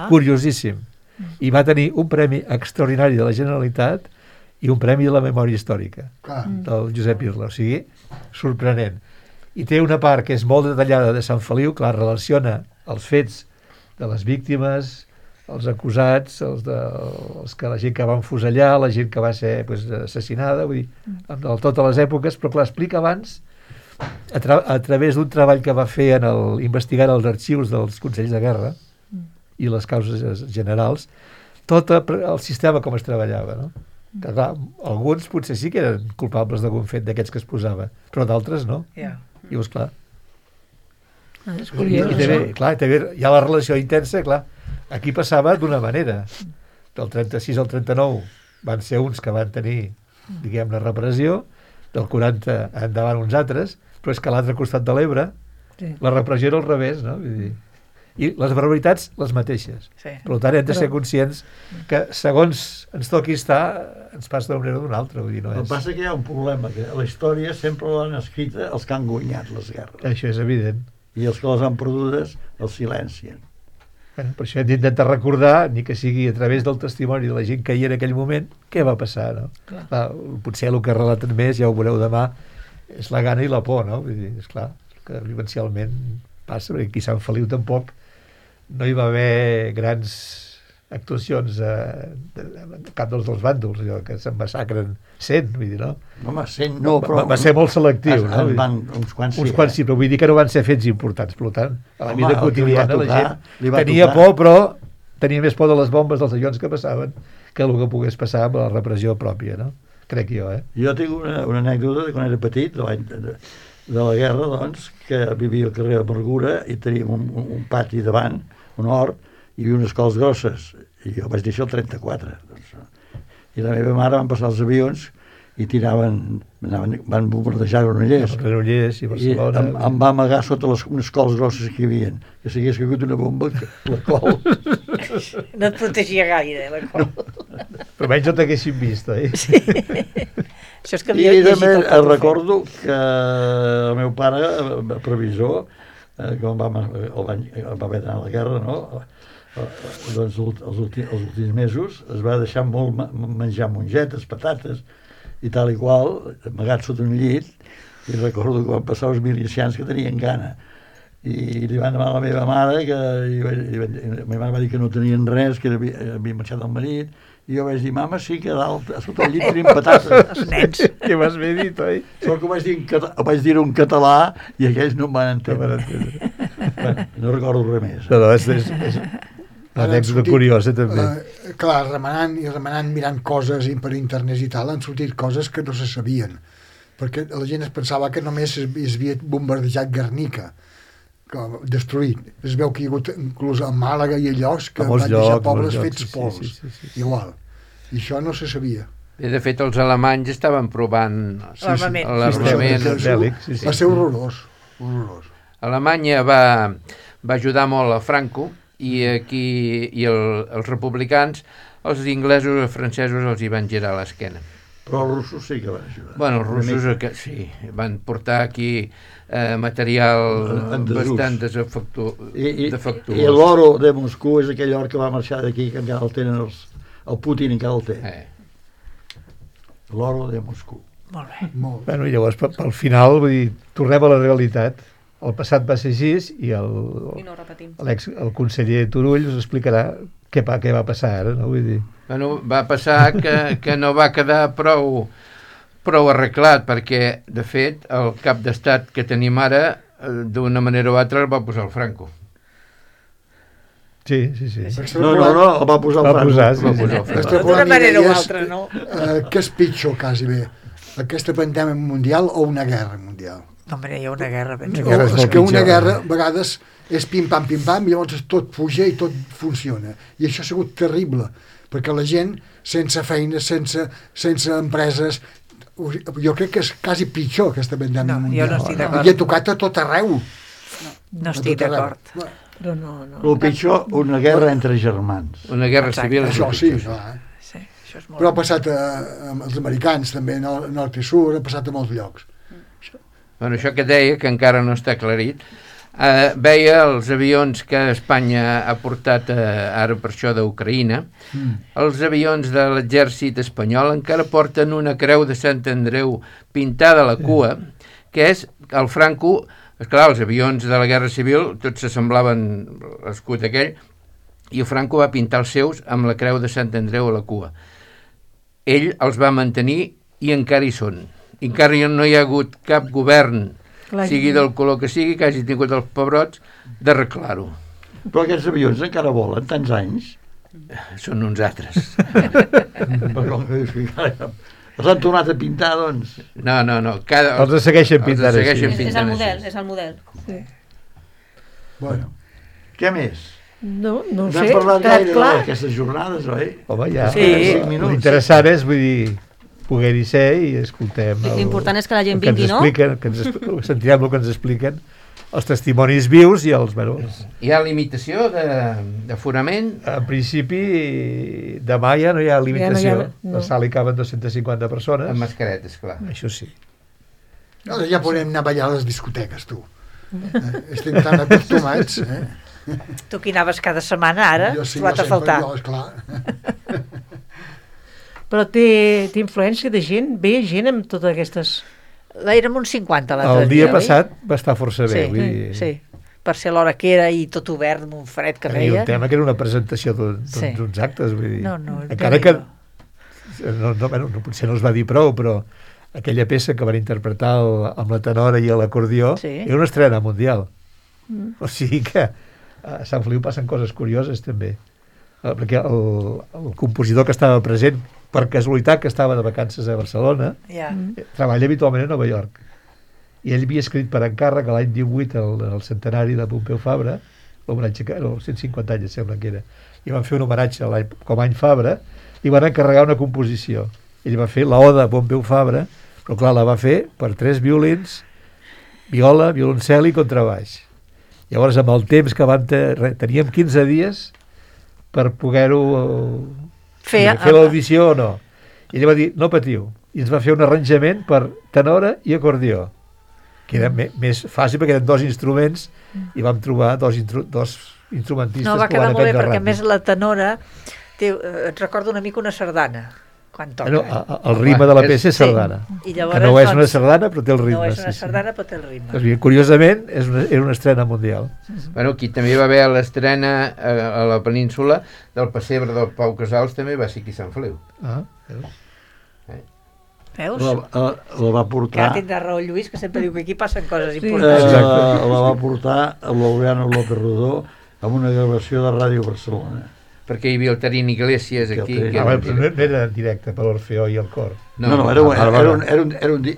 Curiosíssim. I va tenir un premi extraordinari de la Generalitat i un premi de la memòria històrica del Josep Irla, o sigui, sorprenent. i té una part que és molt detallada de Sant Feliu, clar, relaciona els fets de les víctimes, els acusats, els que la gent que va enfusellar, la gent que va ser assassinada, vull dir, en totes les èpoques, però clar, explica abans, a través d'un treball que va fer investigant els arxius dels Consells de Guerra i les causes generals, tot el sistema com es treballava, no? Que, clar, alguns potser sí que eren culpables d'algun fet d'aquests que es posava, però d'altres no. I llavors, clar, és curiós. També hi ha la relació intensa, clar. Aquí passava d'una manera. Del 36 al 39 van ser uns que van tenir, diguem, la repressió, del 40 endavant uns altres, però és que a l'altre costat de l'Ebre la repressió era al revés, no? Vull dir, i les barbaritats les mateixes. Per tant, hem de ser conscients que segons ens toqui estar, ens passa d'una manera o d'una altra. Vull dir, no és... El que passa que hi ha un problema, que la història sempre l'han escrita els que han guanyat les guerres. Això és evident. I els que les han perdudes els silencien. Bueno, per això hem d'intentar recordar, ni que sigui a través del testimoni de la gent que hi era en aquell moment, què va passar, no? Clar, potser el que relaten més, ja ho veureu demà, és la gana i la por, no? Vull dir, esclar, que vivencialment passa, perquè aquí a Sant Feliu tampoc no hi va haver grans actuacions de cap dels dos bàndols, allò que se'n massacren 100, vull dir, no? Home, 100 no, però... Va ser molt selectiu, no? Uns quants sí, però vull dir que no van ser fets importants, per tant, a la vida quotidiana la gent tenia por, però tenia més por de les bombes dels avions que passaven que el que pogués passar amb la repressió pròpia, no? Crec jo, Jo tinc una anècdota de quan era petit, de la guerra, doncs, que vivia al carrer de Amargura i teníem un pati davant, un hort, hi havia unes cols grosses, i jo vaig dir això el 34. Doncs, i la meva mare van passar els avions i van bombardejar Granollers. I Barcelona. I em va amagar sota unes cols grosses que hi havia. Que si hagués caigut una bomba, la col... No et protegia gaire, la col. No. Però menys no t'haguessin vist, Sí. Això és que I també recordo que el meu pare, previsor, quan va haver d'anar a la guerra, no? Doncs els últims mesos es va deixar molt menjar mongetes, patates i tal i qual, amagat sota un llit, i recordo que van passar uns milicians que tenien gana i li van demanar a la meva mare la meva mare va dir que no tenien res, que havia marxat el marit, i jo vaig dir, mama, sí que a dalt, sota el llit tenim patates. Els nens. Que m'has bé dit, oi? Sort que ho vaig dir en català i aquells no em van entendre. No recordo res més. No, és una anècdota curiosa, també. Clar, remenant, mirant coses per internet i tal, han sortit coses que no se sabien. Perquè la gent es pensava que només es havia bombardejat Guernica, destruït. Es veu que hi ha hagut inclús a Màlaga i a llocs que van deixar pobles fets pols. Igual. I això no se sabia. De fet, els alemanys estaven provant l'armament bèl·lic. Va ser horrorós. Alemanya va ajudar molt a Franco i aquí els republicans, els inglesos i els francesos els hi van girar l'esquena. Però els russos sí que van ajudar. Bueno, els russos sí, van portar aquí material bastant defectuós. I l'oro de Moscou és aquell or que va marxar d'aquí, que encara el tenen el Putin, encara el té. L'oro de Moscou. Molt bé. Bueno, i llavors, pel final, vull dir, tornem a la realitat. El passat va ser així i no repetim. El conseller Turull us explicarà què va passar ara, no? Vull dir... Bueno, va passar que no va quedar prou arreglat, perquè, de fet, el cap d'estat que tenim ara, d'una manera o altra, el va posar el Franco. Sí. No, el va posar el Franco. D'una manera o altra, no? Què és pitjor, quasi bé? Aquesta pandèmia mundial o una guerra mundial? No, hombre, hi ha una guerra. És que una guerra, a vegades, és pim-pam, i llavors tot puja i tot funciona. I això ha sigut terrible, perquè la gent, sense feina, sense empreses, jo crec que és quasi pitjor aquesta pandèmia mundial. Jo no estic d'acord. I ha tocat a tot arreu. No estic d'acord. No. El pitjor, una guerra entre germans. Una guerra civil. Això sí, clar. Però ha passat als americans, també, nord i sud, ha passat a molts llocs. Bueno, això que deia, que encara no està aclarit, veia els avions que Espanya ha portat ara per això d'Ucraïna. Els avions de l'exèrcit espanyol encara porten una creu de Sant Andreu pintada a la cua, que és el Franco, esclar, els avions de la Guerra Civil tots s'assemblaven l'escut aquell, i el Franco va pintar els seus amb la creu de Sant Andreu a la cua. Ell els va mantenir i encara hi són. Encara no hi ha hagut cap govern, sigui del color que sigui, que hagi tingut els pebrots d'arreglar-ho. Però aquests avions encara volen tants anys. Són uns altres. Els han tornat a pintar, doncs? No. Els segueixen pintant així. És el model, és el model. Sí. Bueno, què més? No No sé, hem parlat gaire clar. d'aquestes jornades, oi? Home, ja. Sí. 5 minuts. L'interessant és, vull dir, poder-hi ser i escoltem... L'important és que la gent el que ens vingui, no? expliquen, sentirem el que ens expliquen, els testimonis vius i els... Bueno, Hi ha limitació d'aforament? en principi, demà ja no hi ha limitació. no. La sala hi caben 250 persones. Amb mascaretes, clar. Això sí. Ara ja podem anar a ballar a les discoteques, tu. Estem tan acostumats. Tu que hi anaves cada setmana, ara? Jo sí, Trobat a faltar. Jo, esclar. Però té influència de gent, ve gent amb totes aquestes... Érem uns 50 l'altre dia. El dia oi? passat va estar força bé. Sí, vull dir, sí. Per ser l'hora que era i tot obert amb un fred que I feia. un tema que era una presentació Sí. d'uns actes, vull dir. No, encara que Déu-n'hi-do. potser no es va dir prou, però aquella peça que van interpretar amb la tenora i l'acordió Sí. era una estrena mundial. O sigui que a Sant Feliu passen coses curioses també. Perquè el compositor que estava present, per casualitat que estava de vacances a Barcelona, Ja. treballa habitualment a Nova York. I ell havia escrit per encàrrec l'any 18, el centenari de Pompeu Fabra, l'homenatge que els 150 anys, sembla que era, i van fer un homenatge com a any Fabra, i van encarregar una composició. Ell va fer l'Oda a Pompeu Fabra, però clar, la va fer per 3 violins, viola, violoncel i contrabaix. Llavors, amb el temps que teníem 15 dies per poder-ho fer l'audició o no. I ell va dir, no patiu. I ens va fer un arranjament per tenora i acordió, que era més fàcil perquè eren 2 instruments i vam trobar dos instrumentistes No, va que ho quedar van molt bé, aprendre perquè a ràpid. més la tenora et recorda una mica una sardana quan toca. El ritme de la peça és sardana. I Que llavors, no és una sardana, però té el ritme. No és una sí. sardana, però té el ritme. Doncs bé, curiosament, era una estrena mundial. Bueno, aquí també va haver l'estrena a la península del pessebre del Pau Casals, també va ser aquí a Sant Feliu. Ah, veus? Veus? La va Que portar... ara tindrà raó el Lluís, que sempre diu que aquí passen coses Sí. importants. la va portar l'Aureano López Rodó amb una gravació de Ràdio Barcelona. Perquè hi havia el Terín Iglesias aquí. Terín. Però no era en directe per l'Orfeó i el cor. No, era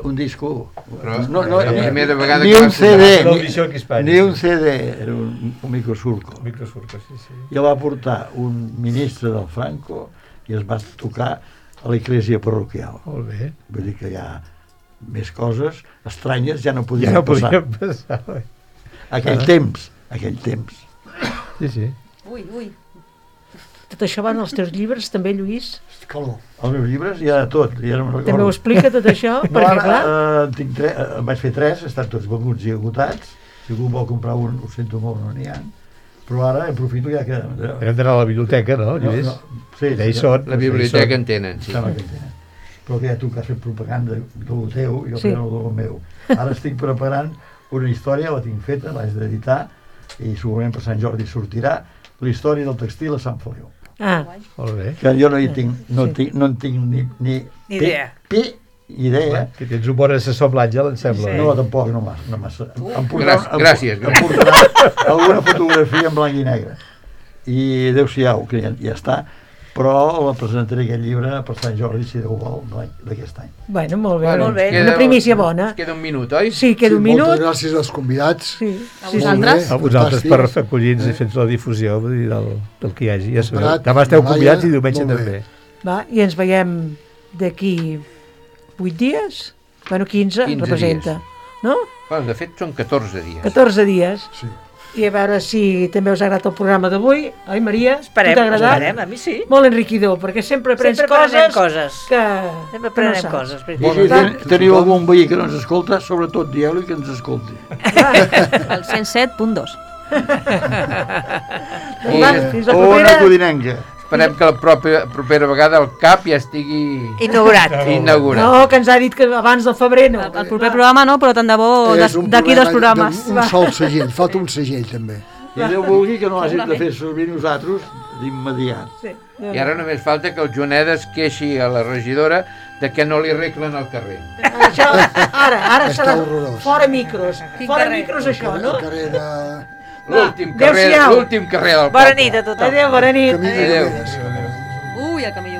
un disco. La primera vegada ni que un va CD, l'audició aquí a Espanya. ni un CD, era un microsurco. Microsurco, sí. I el va portar un ministre del Franco i es va tocar a l'església parroquial. Molt bé. Vull dir que hi ha més coses estranyes, ja no podien Ja no passar. podíem passar. oi? Aquell temps. Sí. Ui. Tot això van als teus llibres, també, Lluís? Calor. Els meus llibres hi ha de tot, ja no me'n També ho recordo. explica tot això? No, Perquè, ara, clar, en vaig fer 3, estan tots venuts i agotats. Si algú vol comprar un, ho sento molt, no n'hi ha. Però ara aprofito ja que... Hem d'anar a la biblioteca, no, Lluís? Sí, Ja hi són. La biblioteca en tenen, sí. Sembla que hi tenen. Però que ja tu que has fet propaganda del teu, jo Sí. sí. del meu. Ara estic preparant una història, la tinc feta, l'haig d'editar, i segurament per Sant Jordi sortirà, la història del textil a Sant Feliu. Molt bé. Que jo no en tinc ni idea. idea. Que tens un bon assessor amb l'Àngel, em sembla. Sí. No, tampoc, no massa. Gràcies. Em portarà alguna fotografia en blanc i negre. I adéu-siau, que ja està. Però la presentaré aquest llibre per Sant Jordi, si Déu vol, d'aquest any. bueno, molt bé. Molt bé. Una primícia bona. Ens queda un minut, oi? Sí, queda un minut. Moltes gràcies als convidats. Sí. A vosaltres. A vosaltres per Fantàstics. acollir-nos i fer la difusió vull dir, del que hi hagi. Ja sabeu. Prat, Demà esteu Laia, convidats i diumenge molt bé. també. Va, i ens veiem d'aquí 8 dies? Bueno, 15 15 representa. No? Bueno, de fet, són 14 dies. 14 dies. Sí. I a veure si també us ha agradat el programa d'avui. Oi, Maria? Esperem, Tu t'ha agradat? a mi sí. Molt enriquidor, perquè sempre aprens Sempre aprenem coses, coses. que... Sempre que aprenem saps. coses. I si teniu algun veí que no ens escolta, sobretot dieu-li que ens escolti. El 107.2. Va, fins la Ona propera. Codinenca. esperem que la propera vegada el CAP ja estigui inaugurat. No, que ens ha dit que abans del febrer no. El proper programa no, però tant de bo d'aquí 2 programes. Un sol segell, falta un segell també. I Déu vulgui que no hàgim de fer servir nosaltres d'immediat. Sí. I ara només falta que el Joanet es queixi a la regidora de que no li arreglen el carrer. Això, ara serà horrorós. fora micros. Fora micros això, no? El carrer de... L'últim carrer del poble. Bona nit a tothom. Adéu, bona nit. Camí de Adéu. Nogueres. Ui, el camí